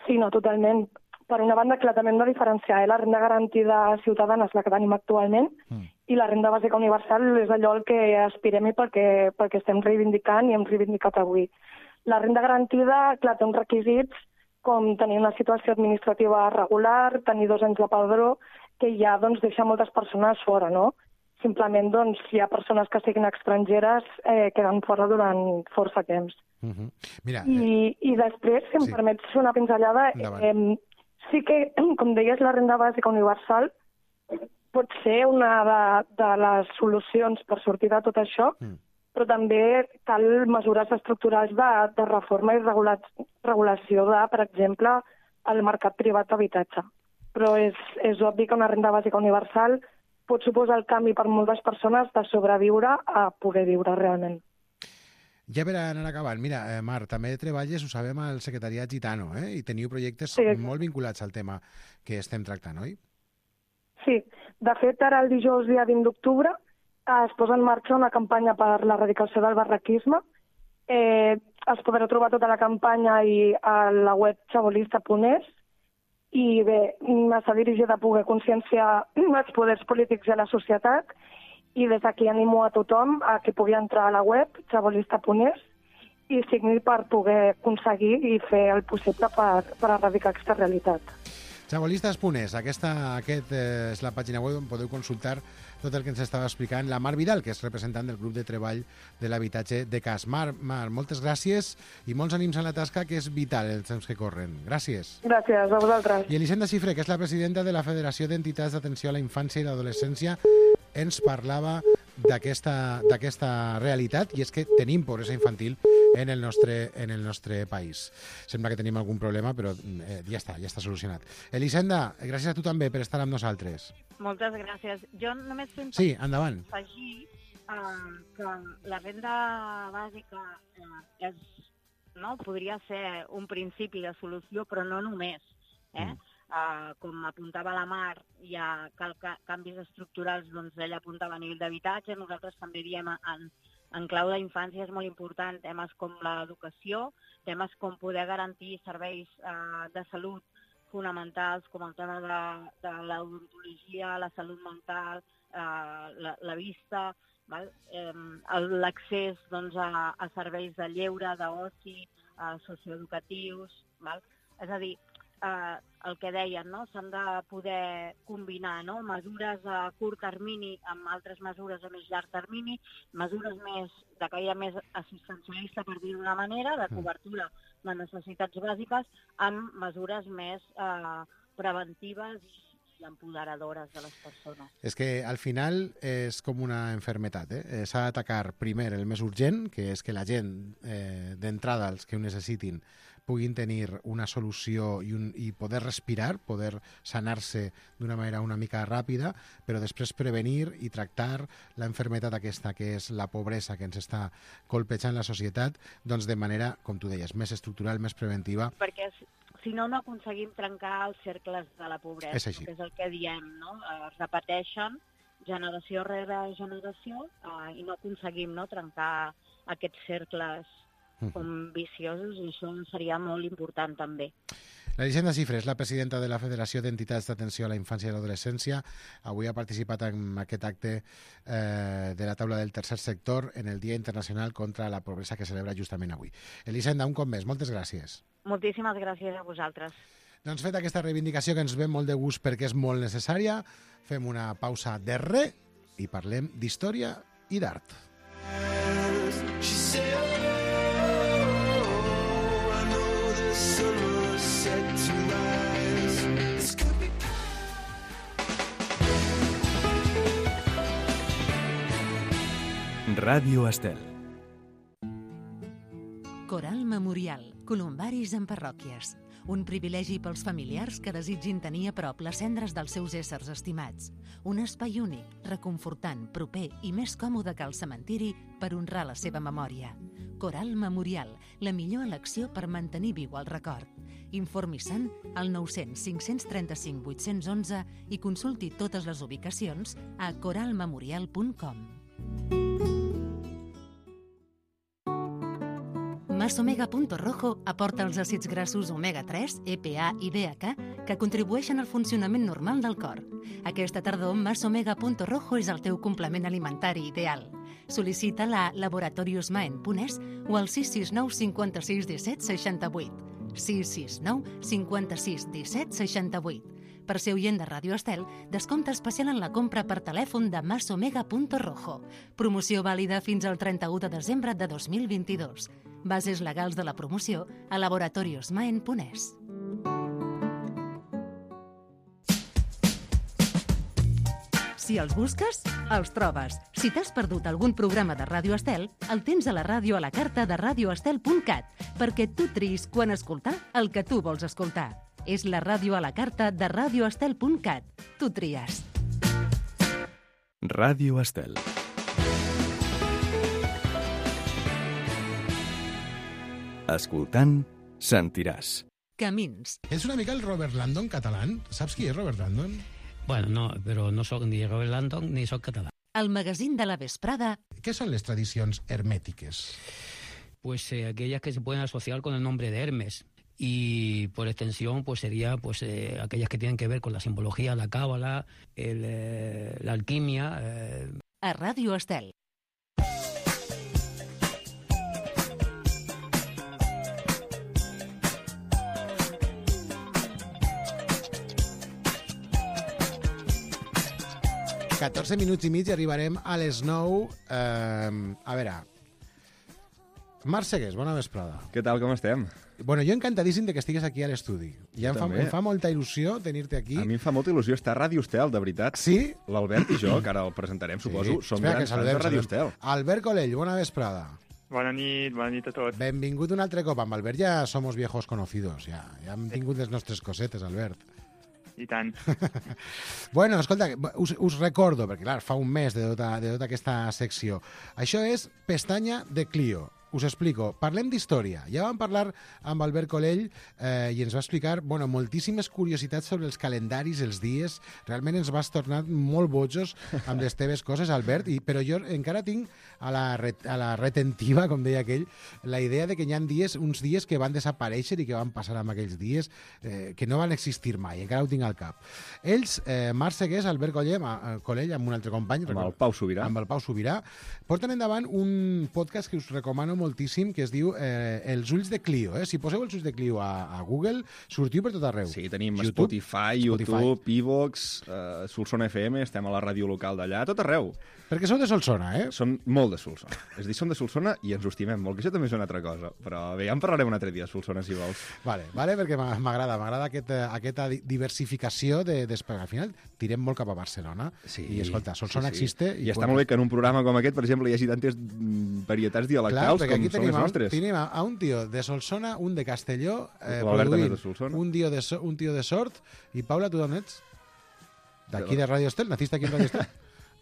Sí, no, totalment. Per una banda, clar, també hem de diferenciar. Eh? La renda garantida ciutadana és la que tenim actualment mm. i la renda bàsica universal és allò al que aspirem i perquè, perquè estem reivindicant i hem reivindicat avui. La renda garantida, clar, té uns requisits com tenir una situació administrativa regular, tenir dos anys de padró, que ja doncs, deixa moltes persones fora, no? Simplement doncs, hi ha persones que siguin estrangeres eh, queden fora durant força temps. Uh -huh. Mira, I, eh... I després, si em sí. permets fer una pinzellada, eh, sí que, com deies, la renda bàsica universal pot ser una de, de les solucions per sortir de tot això, mm. però també cal mesures estructurals de, de reforma i regula, regulació de, per exemple, el mercat privat d'habitatge. Però és, és obvi que una renda bàsica universal pot suposar el canvi per moltes persones de sobreviure a poder viure realment. Ja per anar acabant, mira, eh, Mar, també treballes, ho sabem, al secretariat Gitano, eh? I teniu projectes sí. molt vinculats al tema que estem tractant, oi? Sí, de fet, ara el dijous dia vint d'octubre es posa en marxa una campanya per l'erradicació del barraquisme. Eh, es podrà trobar tota la campanya i a la web chabolista punt es i bé, està dirigida a poder conscienciar els poders polítics i la societat i des d'aquí animo a tothom a que pugui entrar a la web chabolista punt es i signi per poder aconseguir i fer el possible per, per erradicar aquesta realitat. chabolistes punt es, aquesta aquest, eh, és la pàgina web on podeu consultar tot el que ens estava explicant la Mar Vidal, que és representant del grup de treball de l'habitatge de Cas. Mar, Mar, moltes gràcies i molts ànims en la tasca, que és vital els temps que corren. Gràcies. Gràcies, a vosaltres. I Elisenda Xifré, que és la presidenta de la Federació d'Entitats d'Atenció a la Infància i l'Adolescència, ens parlava d'aquesta realitat, i és que tenim pobresa infantil en el nostre, en el nostre país. Sembla que tenim algun problema, però eh, ja està, ja està solucionat. Elisenda, gràcies a tu també per estar amb nosaltres. Moltes gràcies. Jo només fem sí, endavant. afegir uh, que la renda bàsica uh, és, no, podria ser un principi de solució, però no només. Eh? Mm. Uh, com apuntava la Mar, hi ha cal ca canvis estructurals, doncs ella apuntava a nivell d'habitatge, nosaltres també diem en, en clau d'infància és molt important temes com l'educació, temes com poder garantir serveis uh, de salut fonamentals, com el tema de, de l'odontologia, la salut mental, uh, la, la vista, eh, l'accés doncs, a, a serveis de lleure, d'oci, uh, socioeducatius. Val? És a dir, Uh, el que deien, no? S'han de poder combinar, no? Mesures a curt termini amb altres mesures a més llarg termini, mesures més de caire més assistencialista, per dir d'una manera, de cobertura de necessitats bàsiques, amb mesures més uh, preventives i empoderadores de les persones. És que al final és com una enfermetat, eh? S'ha d'atacar primer el més urgent, que és que la gent, eh, d'entrada, els que ho necessitin, puguin tenir una solució i, un, i poder respirar, poder sanar-se d'una manera una mica ràpida, però després prevenir i tractar la enfermetat aquesta, que és la pobresa que ens està colpejant la societat, doncs de manera, com tu deies, més estructural, més preventiva. Perquè si no, no aconseguim trencar els cercles de la pobresa, és així. Que és el que diem, no? Es repeteixen generació rere generació eh, i no aconseguim, no, trencar aquests cercles com viciosos, i això seria molt important també. L'Elisenda Cifre és la presidenta de la Federació d'Entitats d'Atenció a la Infància i l'Adolescència. Avui ha participat en aquest acte eh, de la taula del tercer sector en el Dia Internacional contra la Pobresa que celebra justament avui. Elisenda, un cop més, moltes gràcies. Moltíssimes gràcies a vosaltres. Doncs fet aquesta reivindicació que ens ve molt de gust perquè és molt necessària, fem una pausa de re i parlem d'història i d'art. Ràdio Estel. Coral Memorial, columbaris en parròquies. Un privilegi pels familiars que desitgin tenir a prop les cendres dels seus éssers estimats. Un espai únic, reconfortant, proper i més còmode que el cementiri per honrar la seva memòria. Coral Memorial, la millor elecció per mantenir viu el record. Informi-se'n al nou cents cinc cents trenta-cinc vuit-cents onze i consulti totes les ubicacions a coral memorial punt com. Masomega.rojo aporta els àcids grassos omega tres, E P A i D H que contribueixen al funcionament normal del cor. Aquesta tardor, Masomega.rojo és el teu complement alimentari ideal. Sol·licita-la a laboratorios maen punt es o al sis sis nou cinquanta-sis disset seixanta-vuit. sis sis nou cinquanta-sis disset seixanta-vuit. Per ser oient de Ràdio Estel, descompte especial en la compra per telèfon de Masomega.rojo. Promoció vàlida fins al trenta-u de desembre de dos mil vint-i-dos. Bases legals de la promoció a laboratorios maen punt es. Si els busques, els trobes. Si t'has perdut algun programa de Ràdio Estel, el tens a la ràdio a la carta de radio estel punt cat, perquè tu triïs quan escoltar el que tu vols escoltar. És la ràdio a la carta de radio estel punt cat. Tu tries. Ràdio Estel. Escoltant, sentiràs. Camins. És una mica el Robert Landon català. Saps qui és Robert Landon? Bueno, no, però no sóc ni Robert Landon ni sóc català. El magazín de la vesprada. Què són les tradicions hermétiques? Pues eh, aquellas que se pueden asociar con el nombre de Hermes. Y por extensión, pues sería pues eh, aquellas que tienen que ver con la simbología, la cábala, el, eh, la alquimia. Eh. A Ràdio Estel. catorze minuts i mig i arribarem a les nou. Eh, a veure... Marc Segués, bona vesprada. Què tal, com estem? Bueno, jo encantadíssim de que estigues aquí a l'estudi. Ja em fa, em fa molta il·lusió tenir-te aquí. A mi em fa molta il·lusió estar a Ràdio Estel, de veritat. Sí? L'Albert i jo, que ara el presentarem, suposo, Sí. som Espera, grans que fans saludem, de Ràdio saludem. Estel. Albert Colell, bona vesprada. Bona nit, bona nit a tots. Benvingut un altre cop. Amb Albert ja somos viejos conocidos. Ja, ja hem tingut les nostres cosetes, Albert. I tant. Bueno, escolta, us, us recordo, perquè clar, fa un mes de tota, de tota aquesta secció. Això és Pestanya de Clio. Us explico. Parlem d'història. Ja vam parlar amb Albert Colell eh, i ens va explicar bueno, moltíssimes curiositats sobre els calendaris, els dies. Realment ens vas tornar molt bojos amb les teves coses, Albert, i, però jo encara tinc a la, ret, a la retentiva, com deia aquell, la idea de que hi ha dies, uns dies que van desaparèixer i que van passar amb aquells dies eh, que no van existir mai. Encara ho tinc al cap. Ells, eh, Marc Segués, Albert Colell, eh, Colell, amb un altre company, amb el Pau Sobirà, amb el Pau Sobirà, porten endavant un podcast que us recomano moltíssim, que es diu eh, Els ulls de Clio. Eh? Si poseu els ulls de Clio a, a Google, sortiu per tot arreu. Sí, tenim YouTube, Spotify, YouTube, Evox, uh, Solsona F M, estem a la ràdio local d'allà, tot arreu. Perquè sou de Solsona, eh? Som molt de Solsona. És a dir, som de Solsona i ens ho estimem molt, que això també és una altra cosa. Però bé, ja en parlarem un altre dia, Solsona, si vols. Vale, vale, perquè m'agrada, m'agrada aquesta, aquesta diversificació de, de... Al final tirem molt cap a Barcelona. Sí, I, escolta, Solsona sí, sí. existe... I, I està molt bé que en un programa com aquest, per exemple, hi hagi tantes varietats dialectals Clar, com són les nostres. Tenim a, a un tio de Solsona, un de Castelló, eh, l'Albert també és de Solsona. Un tio de, un tio de Sort. I Paula, tu d'on ets? D'aquí de Radio Estel? Naciste aquí en Radio Estel?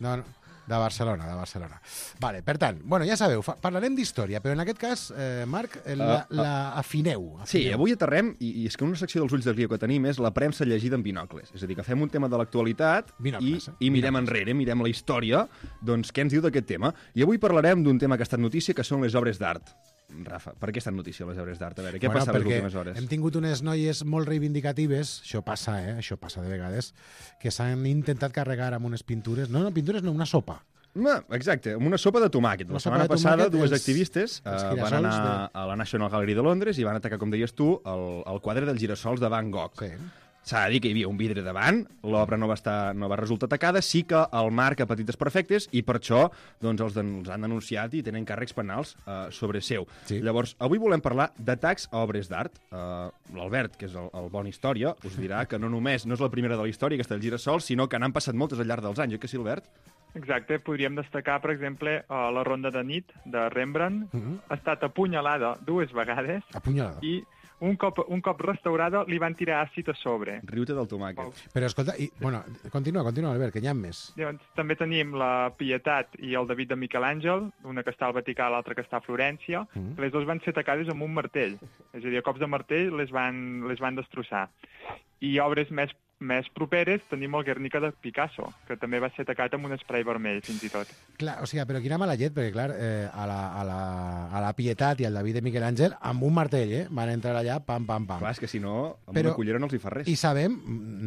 No, no. De Barcelona, de Barcelona. Vale, per tant, bueno, ja sabeu, parlarem d'història, però en aquest cas, eh, Marc, la, uh, uh, la afineu, afineu. Sí, avui aterrem, i, i és que una secció dels ulls de Clio que tenim és la premsa llegida en binocles. És a dir, que fem un tema de l'actualitat i, eh? i mirem binocles. enrere, mirem la història, doncs què ens diu d'aquest tema. I avui parlarem d'un tema que ha estat notícia, que són les obres d'art. Rafa, per què estan notícia les obres d'art? A veure, què Bueno, passa les perquè últimes hores? hem tingut unes noies molt reivindicatives, això passa, eh? Això passa de vegades, que s'han intentat carregar amb unes pintures, no, no, pintures no, una sopa. No, exacte, amb una sopa de tomàquet. Una La sopa setmana de passada, tomàquet, dues els- activistes els eh, van girassols anar de- a la National Gallery de Londres i van atacar, com deies tu, el, el quadre dels girassols de Van Gogh. Sí. S'ha de dir que hi havia un vidre davant, l'obra no va estar, no va resultar atacada, sí que el marc a petits desperfectes i per això doncs, els, den els han denunciat i tenen càrrecs penals eh, sobre seu. Sí. Llavors, avui volem parlar d'atacs a obres d'art. Eh, L'Albert, que és el, el bon història, us dirà que no només no és la primera de la història, aquesta del girassol, sinó que n'han passat moltes al llarg dels anys, oi que sí, Albert? Exacte, podríem destacar, per exemple, uh, la Ronda de nit de Rembrandt. Uh -huh. Ha estat apunyalada dues vegades Apunyalada. i un cop, un cop restaurada li van tirar àcid a sobre. Riu-te del tomàquet. Però escolta, i, bueno, continua, continua, Albert, que n'hi ha més. Llavors, també tenim la Pietat i el David de Miquel Àngel, una que està al Vaticà, l'altra que està a Florència. Mm. Les dues van ser atacades amb un martell. És a dir, a cops de martell les van, les van destrossar. I obres més, més properes tenim el Guernica de Picasso, que també va ser atacat amb un spray vermell, fins i tot. Clar, o sigui, però quina mala llet, perquè clar, eh, a, la, a, la, a la Pietat i al David de Miquel Àngel, amb un martell, eh, van entrar allà, pam, pam, pam. Clar, és que si no, amb Però- una cullera no els hi fa res. I sabem,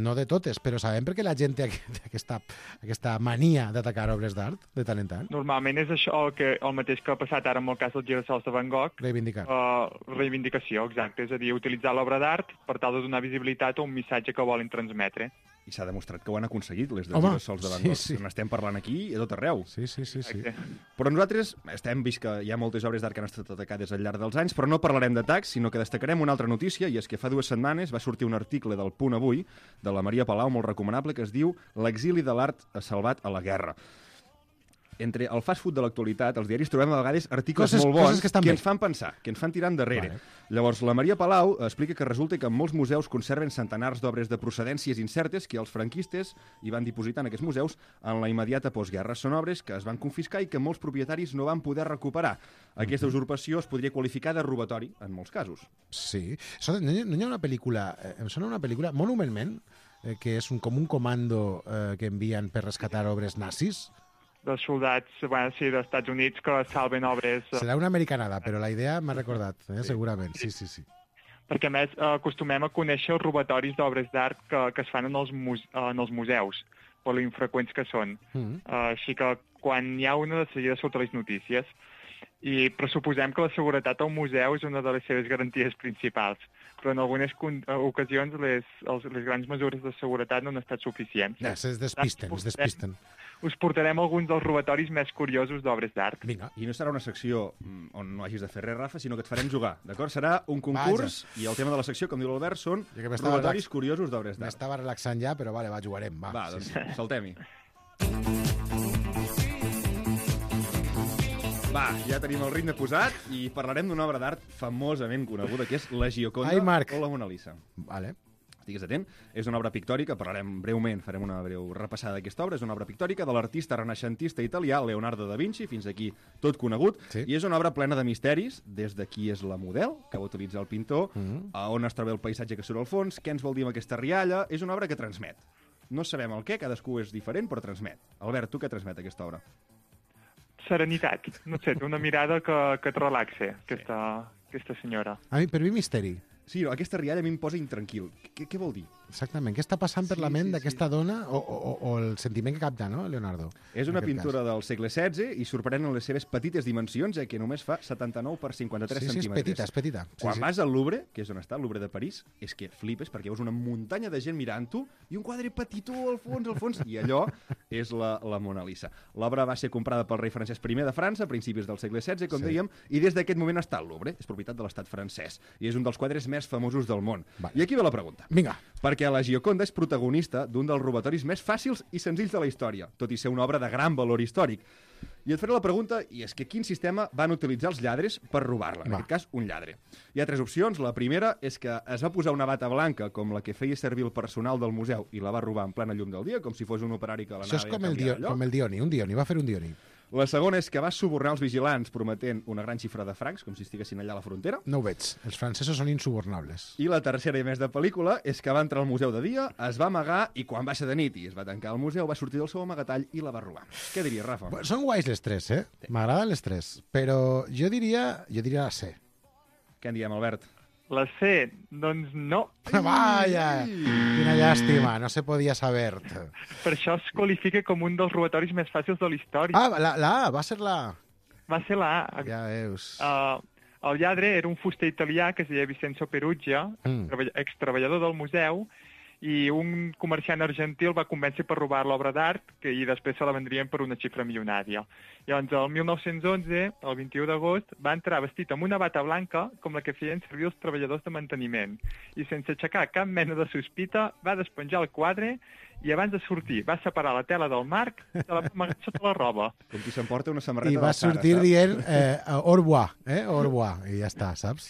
no de totes, però sabem per què la gent té aquest- aquesta, aquesta mania d'atacar obres d'art, de tant en tant? Normalment és això el, que, el mateix que ha passat ara amb el cas dels girassols de Van Gogh. Reivindicar. Uh, reivindicació, exacte. És a dir, utilitzar l'obra d'art per tal de donar visibilitat a un missatge que volen transmetre. I s'ha demostrat que ho han aconseguit, les dels Home, girassols de Van sí, Gogh. sí. N'estem parlant aquí i a tot arreu. Sí, sí, sí. sí. Però nosaltres estem vist que hi ha moltes obres d'art que han estat atacades al llarg dels anys, però no parlarem d'atacs, sinó que destacarem una altra notícia, i és que fa dues setmanes va sortir un article del Punt Avui, de la Maria Palau, molt recomanable, que es diu «L'exili de l'art salvat a la guerra». Entre el fast food de l'actualitat, els diaris trobem a vegades articles Coses- molt bons coses que estan que bé. ens fan pensar, que ens fan tirar endarrere. Vale. Llavors, la Maria Palau explica que resulta que molts museus conserven centenars d'obres de procedències incertes que els franquistes hi van dipositar en aquests museus en la immediata postguerra. Són obres que es van confiscar i que molts propietaris no van poder recuperar. Aquesta usurpació es podria qualificar de robatori, en molts casos. Sí. Escolta, no hi, no hi ha una pel·lícula, eh, em sona una pel·lícula, Monument Man, eh, que és un, com un comando eh, que envien per rescatar obres nazis. Dels soldats, bueno, sí, dels Estats Units que salven obres... eh, Serà una americanada, però la idea m'ha recordat, eh, segurament. Sí, sí, sí. Perquè, a més, eh, acostumem a conèixer els robatoris d'obres d'art que, que es fan en els, muse en els museus, per l'infreqüents que són. Mm. Uh, així que quan hi ha una, de seguida sota les notícies. I pressuposem que la seguretat al museu és una de les seves garanties principals, però en algunes ocasions les, els, les grans mesures de seguretat no han estat suficients. Ja, es despisten, es despisten. Us portarem alguns dels robatoris més curiosos d'obres d'art. Vinga. I no serà una secció mm, on no hagis de fer res, Rafa, sinó que et farem jugar, d'acord? Serà un concurs i el tema de la secció, com diu l'Albert, són robatoris curiosos d'obres d'art. M'estava relaxant ja, però vale, va, jugarem. Va, Va, doncs sí, sí. saltem-hi. Va, ja tenim el ritme posat i parlarem d'una obra d'art famosament coneguda, que és la Gioconda Ai, Marc. o la Mona Lisa. Vale. Estigues atent. És una obra pictòrica, parlarem breument, farem una breu repassada d'aquesta obra. És una obra pictòrica de l'artista renaixentista italià Leonardo da Vinci, fins aquí tot conegut, sí. I és una obra plena de misteris, des de qui és la model que va utilitzar el pintor, Mm. a on es troba el paisatge que surt al fons, què ens vol dir amb aquesta rialla. És una obra que transmet. No sabem el què, cadascú és diferent, però transmet. Albert, tu què transmet aquesta obra? Serenitat. No sé, té una mirada que, que et relaxa, aquesta, aquesta senyora. A mi, per mi, misteri. Sí, aquesta rialla a mi em posa intranquil. Què, què vol dir? Exactament. Què està passant per Sí, la ment sí, d'aquesta dona o, o, o el sentiment que capta, no, Leonardo? És en una aquest pintura cas? del segle setze i sorprèn en les seves petites dimensions, ja que només fa setanta-nou per cinquanta-tres Sí, sí, és centímetres. petita, és petita. Sí, Quan sí. vas al Louvre, que és on està, el Louvre de París, és que flipes perquè veus una muntanya de gent mirant-ho i un quadre petitó al fons, al fons, i allò és la, la Mona Lisa. L'obra va ser comprada pel rei Francesc I de França a principis del segle setze, com Sí. dèiem, i des d'aquest moment està al Louvre, és propietat de l'estat francès, i és un dels quadres més famosos del món. Vale. I aquí ve la pregunta. Vinga. Perquè la Gioconda és protagonista d'un dels robatoris més fàcils i senzills de la història, tot i ser una obra de gran valor històric. I et faré la pregunta, i és que quin sistema van utilitzar els lladres per robar-la? En Va. aquest cas, un lladre. Hi ha tres opcions. La primera és que es va posar una bata blanca, com la que feia servir el personal del museu, i la va robar en plena llum del dia, com si fos un operari que l'anava Això és com a el, canviar dio, allò. com el Dioni, un Dioni, va fer un Dioni. La segona és que va subornar els vigilants prometent una gran xifra de francs, com si estiguessin allà a la frontera. No ho veig. Els francesos són insubornables. I la tercera i més de pel·lícula és que va entrar al museu de dia, es va amagar i quan va ser de nit i es va tancar al museu va sortir del seu amagatall i la va robar. Què diries, Rafa? Bueno, són guais les tres, eh? M'agraden les tres. Però jo diria, jo diria la C. Què en diem, Albert? La C, doncs no. Vaya, quina llàstima, no se podia saber. Per això es qualifica com un dels robatoris més fàcils de la història. Ah, la, la A, va ser la A. Va ser la A. Ja veus. Uh, el lladre era un fuster italià que es deia Vincenzo Peruggia, Mm. treball- extreballador del museu, i un comerciant argentí el va convèncer per robar l'obra d'art que i després se la vendrien per una xifra milionària. Llavors, el mil nou-cents onze, el vint-i-u d'agost, va entrar vestit amb una bata blanca com la que feien servir els treballadors de manteniment i sense aixecar cap mena de sospita va despenjar el quadre i abans de sortir va separar la tela del marc i se la va amagar sota la roba. Com qui s'emporta una samarreta I de va la Sara, sortir saps? dient eh, au revoir, eh? Au revoir, i ja està, saps?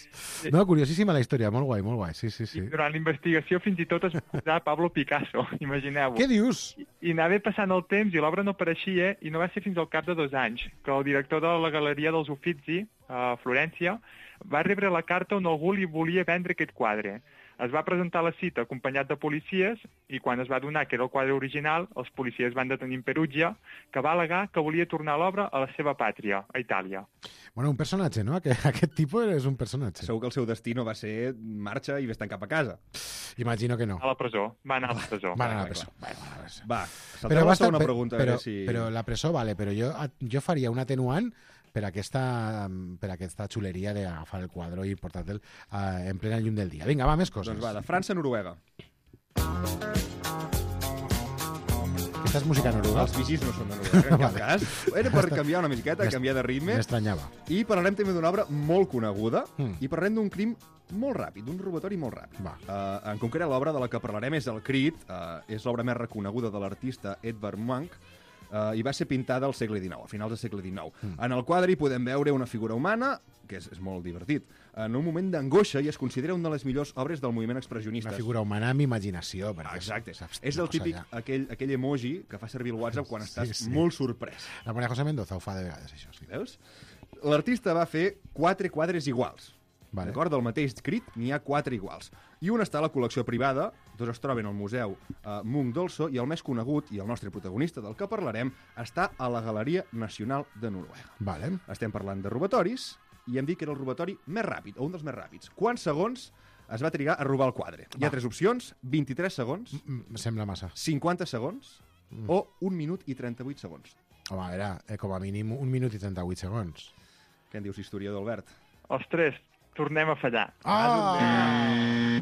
No, curiosíssima la història, molt guai, molt guai, sí, sí, sí. Durant la investigació fins i tot es va posar Pablo Picasso, imagineu-ho. Què dius? I, I anava passant el temps i l'obra no apareixia i no va ser fins al cap de dos anys que el director de la Galeria dels Uffizi, a Florència, va rebre la carta on algú li volia vendre aquest quadre. Es va presentar a la cita acompanyat de policies i quan es va donar que era el quadre original, els policies van detenir en Perugia, que va al·legar que volia tornar l'obra a la seva pàtria, a Itàlia. Bueno, un personatge, no? Aquest, aquest tipus és un personatge. Segur que el seu destí no va ser marxa i vés-te'n cap a casa. Imagino que no. A la presó. Va anar a la presó. Va anar a la presó. Va, va, va. Va, Però, saltem a la basta, segona però, pregunta. a però, veure si... però la presó, vale, però jo, jo faria un atenuant per aquesta, per aquesta xuleria d'agafar el quadre i portar-te'l uh, en plena llum del dia. Vinga, va, més coses. Doncs va, de França a Noruega. Aquesta és música noruega. Els vigis no són de Noruega, en cap Vale. cas. Era per canviar una miqueta, M'est- canviar de ritme. M'estranyava. I parlarem també d'una obra molt coneguda Mm. i parlarem d'un crim molt ràpid, d'un robatori molt ràpid. Va. Uh, en concret, l'obra de la que parlarem és el Crit, uh, és l'obra més reconeguda de l'artista Edvard Munch, uh, i va ser pintada al segle dinou, a finals del segle dinou. Mm. En el quadre hi podem veure una figura humana, que és, és molt divertit, en un moment d'angoixa i es considera una de les millors obres del moviment expressionista. Una figura humana amb imaginació. Perquè Exacte. saps, És una el cosa típic, ja. aquell, aquell emoji que fa servir el WhatsApp quan estàs Sí, sí. molt sorprès. La Maria José Mendoza ho fa de vegades, això. Sí. Veus? L'artista va fer quatre quadres iguals. Vale. D'acord? Del mateix crit n'hi ha quatre iguals. I un està a la col·lecció privada, dos es troben al Museu eh, Munch d'Olso, i el més conegut, i el nostre protagonista del que parlarem, està a la Galeria Nacional de Noruega. Vale. Estem parlant de robatoris, i hem dit que era el robatori més ràpid, o un dels més ràpids. Quants segons es va trigar a robar el quadre? Hi ha Va. tres opcions, vint-i-tres segons, Em sembla massa. cinquanta segons, Mm. o un minut i trenta-vuit segons. Home, era eh, com a mínim un minut i trenta-vuit segons. Què en dius, historiador, Albert? Ostres, tornem a fallar. Ah!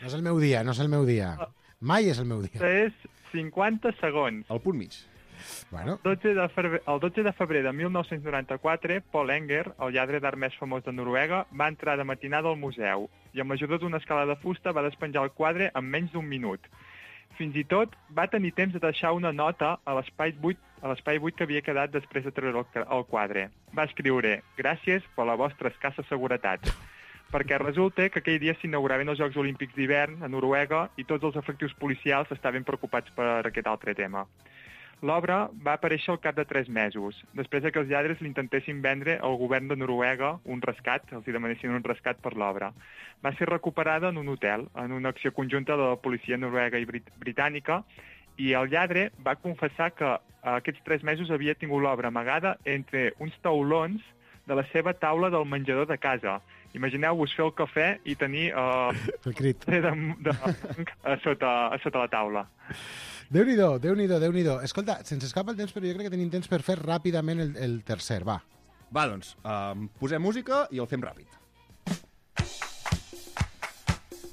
No és el meu dia, no és el meu dia. Mai és el meu dia. És cinquanta segons. Al punt mig. Bueno, dotze de febrer, el dotze de febrer de mil nou-cents noranta-quatre, Paul Enger, el lladre d'art més famós de Noruega, va entrar de matinada al museu i amb l'ajuda d'una escala de fusta va despenjar el quadre en menys d'un minut. Fins i tot va tenir temps de deixar una nota a l'espai buit, a l'espai buit que havia quedat després de treure el, el quadre. Va escriure «Gràcies per la vostra escassa seguretat», perquè resulta que aquell dia s'inauguraven els Jocs Olímpics d'hivern a Noruega i tots els efectius policials estaven preocupats per aquest altre tema. L'obra va aparèixer al cap de tres mesos, després de que els lladres l'intentessin vendre al govern de Noruega un rescat, els hi demanessin un rescat per l'obra. Va ser recuperada en un hotel, en una acció conjunta de la policia noruega i brit britànica, i el lladre va confessar que aquests tres mesos havia tingut l'obra amagada entre uns taulons de la seva taula del menjador de casa. Imagineu-vos fer el cafè i tenir uh, el crit de, de, a, sota, a sota la taula. Déu-n'hi-do, Déu-n'hi-do, Déu-n'hi-do. Escolta, se'ns escapa el temps, però jo crec que tenim temps per fer ràpidament el, el tercer, va. Va, doncs, um, posem música i el fem ràpid.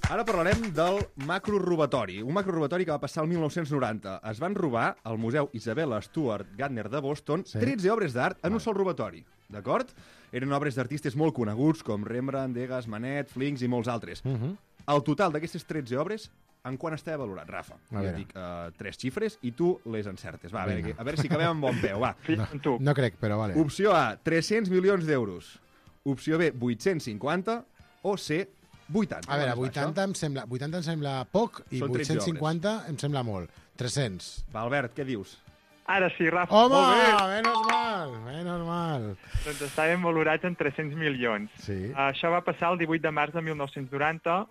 Ara parlarem del macrorobatori, un macrorobatori que va passar el mil nou-cents noranta. Es van robar al Museu Isabella Stuart Gardner de Boston Sí. tretze obres d'art en un sol robatori, d'acord? Eren obres d'artistes molt coneguts com Rembrandt, Degas, Manet, Flinks i molts altres. Uh -huh. El total d'aquestes tretze obres, en quant estava valorat, Rafa? A Jo veure. dic uh, tres xifres i tu les encertes. Va, a veure, Vinga. a veure si acabem amb bon peu, va. No, no crec, però vale. Opció A, tres-cents milions d'euros. Opció B, vuit-cents cinquanta. O C, vuitanta. A veure, Quant és vuitanta em sembla, vuitanta em sembla poc i Són tretze vuit-cents cinquanta em sembla molt. tres-cents. Va, Albert, què dius? Ara sí, Rafa. Home, Molt bé. menos mal, menos mal. Doncs estaven valorats en tres-cents milions. Sí. Això va passar el divuit de març de mil nou-cents noranta,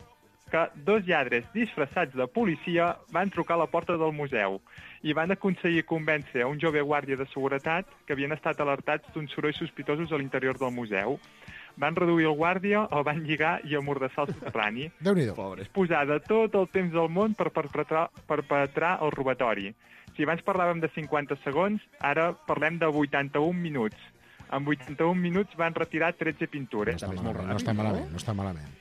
que dos lladres disfressats de policia van trucar a la porta del museu i van aconseguir convèncer a un jove guàrdia de seguretat que havien estat alertats d'uns sorolls sospitosos a l'interior del museu. Van reduir el guàrdia, el van lligar i amordassar el soterrani. Déu-n'hi-do. Posar de tot el temps del món per perpetrar, perpetrar el robatori. Si abans parlàvem de cinquanta segons, ara parlem de vuitanta-un minuts. En vuitanta-un minuts van retirar tretze pintures. No està malament, no està malament, no està malament.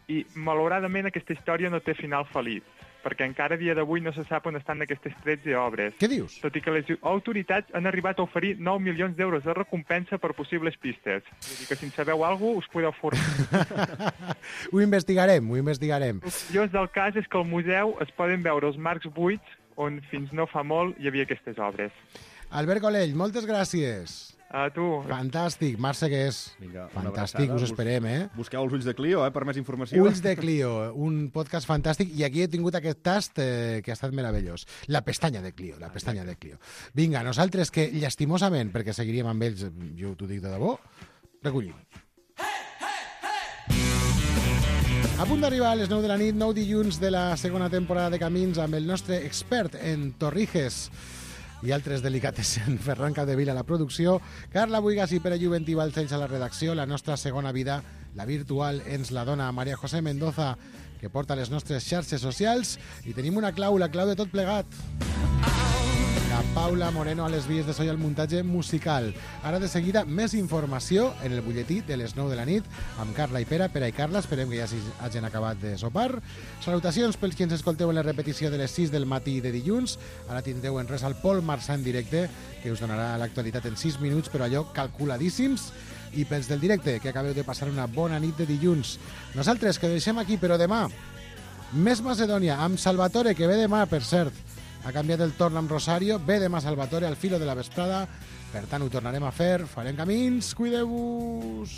I, malauradament, aquesta història no té final feliç, perquè encara a dia d'avui no se sap on estan aquestes tretze obres. Què dius? Tot i que les autoritats han arribat a oferir nou milions d'euros de recompensa per possibles pistes. Vull dir que si en sabeu alguna cosa, us podeu formar. Ho investigarem, ho investigarem. El curiós del cas és que al museu es poden veure els marcs buits on fins no fa molt hi havia aquestes obres. Albert Colell, moltes gràcies. A tu. Fantàstic, Marc Segués. Vinga, una Fantàstic, abraçada. us esperem, eh? Busqueu els Ulls de Clio, eh, per més informació. Ulls de Clio, un podcast fantàstic, i aquí he tingut aquest tast eh, que ha estat meravellós. La pestanya de Clio, la pestanya de Clio. Vinga, nosaltres que, llastimosament, perquè seguiríem amb ells, jo t'ho dic de debò, recollim. A punt d'arribar a les nou de la nit, nou dilluns de la segona temporada de Camins, amb el nostre expert en torrijes i altres delicatessen, Ferran Capdevila a la producció, Carla Buigas i Pere Juventí Balcells a la redacció. La nostra segona vida, la virtual, ens la dona Maria José Mendoza, que porta les nostres xarxes socials, i tenim una clau, la clau de tot plegat. La Paula Moreno a les vies de so i al muntatge musical. Ara de seguida més informació en el butlletí de les nou de la nit amb Carla i Pere, Pere i Carla, esperem que ja hagin acabat de sopar. Salutacions pels qui ens escolteu en la repetició de les sis del matí de dilluns. Ara tindreu en res al Pol Marçà en directe, que us donarà l'actualitat en sis minuts, però allò calculadíssims. I pels del directe, que acabeu de passar una bona nit de dilluns. Nosaltres, que deixem aquí, però demà, més Macedònia, amb Salvatore, que ve demà, per cert. Ha canviat el torn amb Rosario, ve demà Salvatore al filo de la vesprada, per tant ho tornarem a fer, farem camins, cuideu-vos!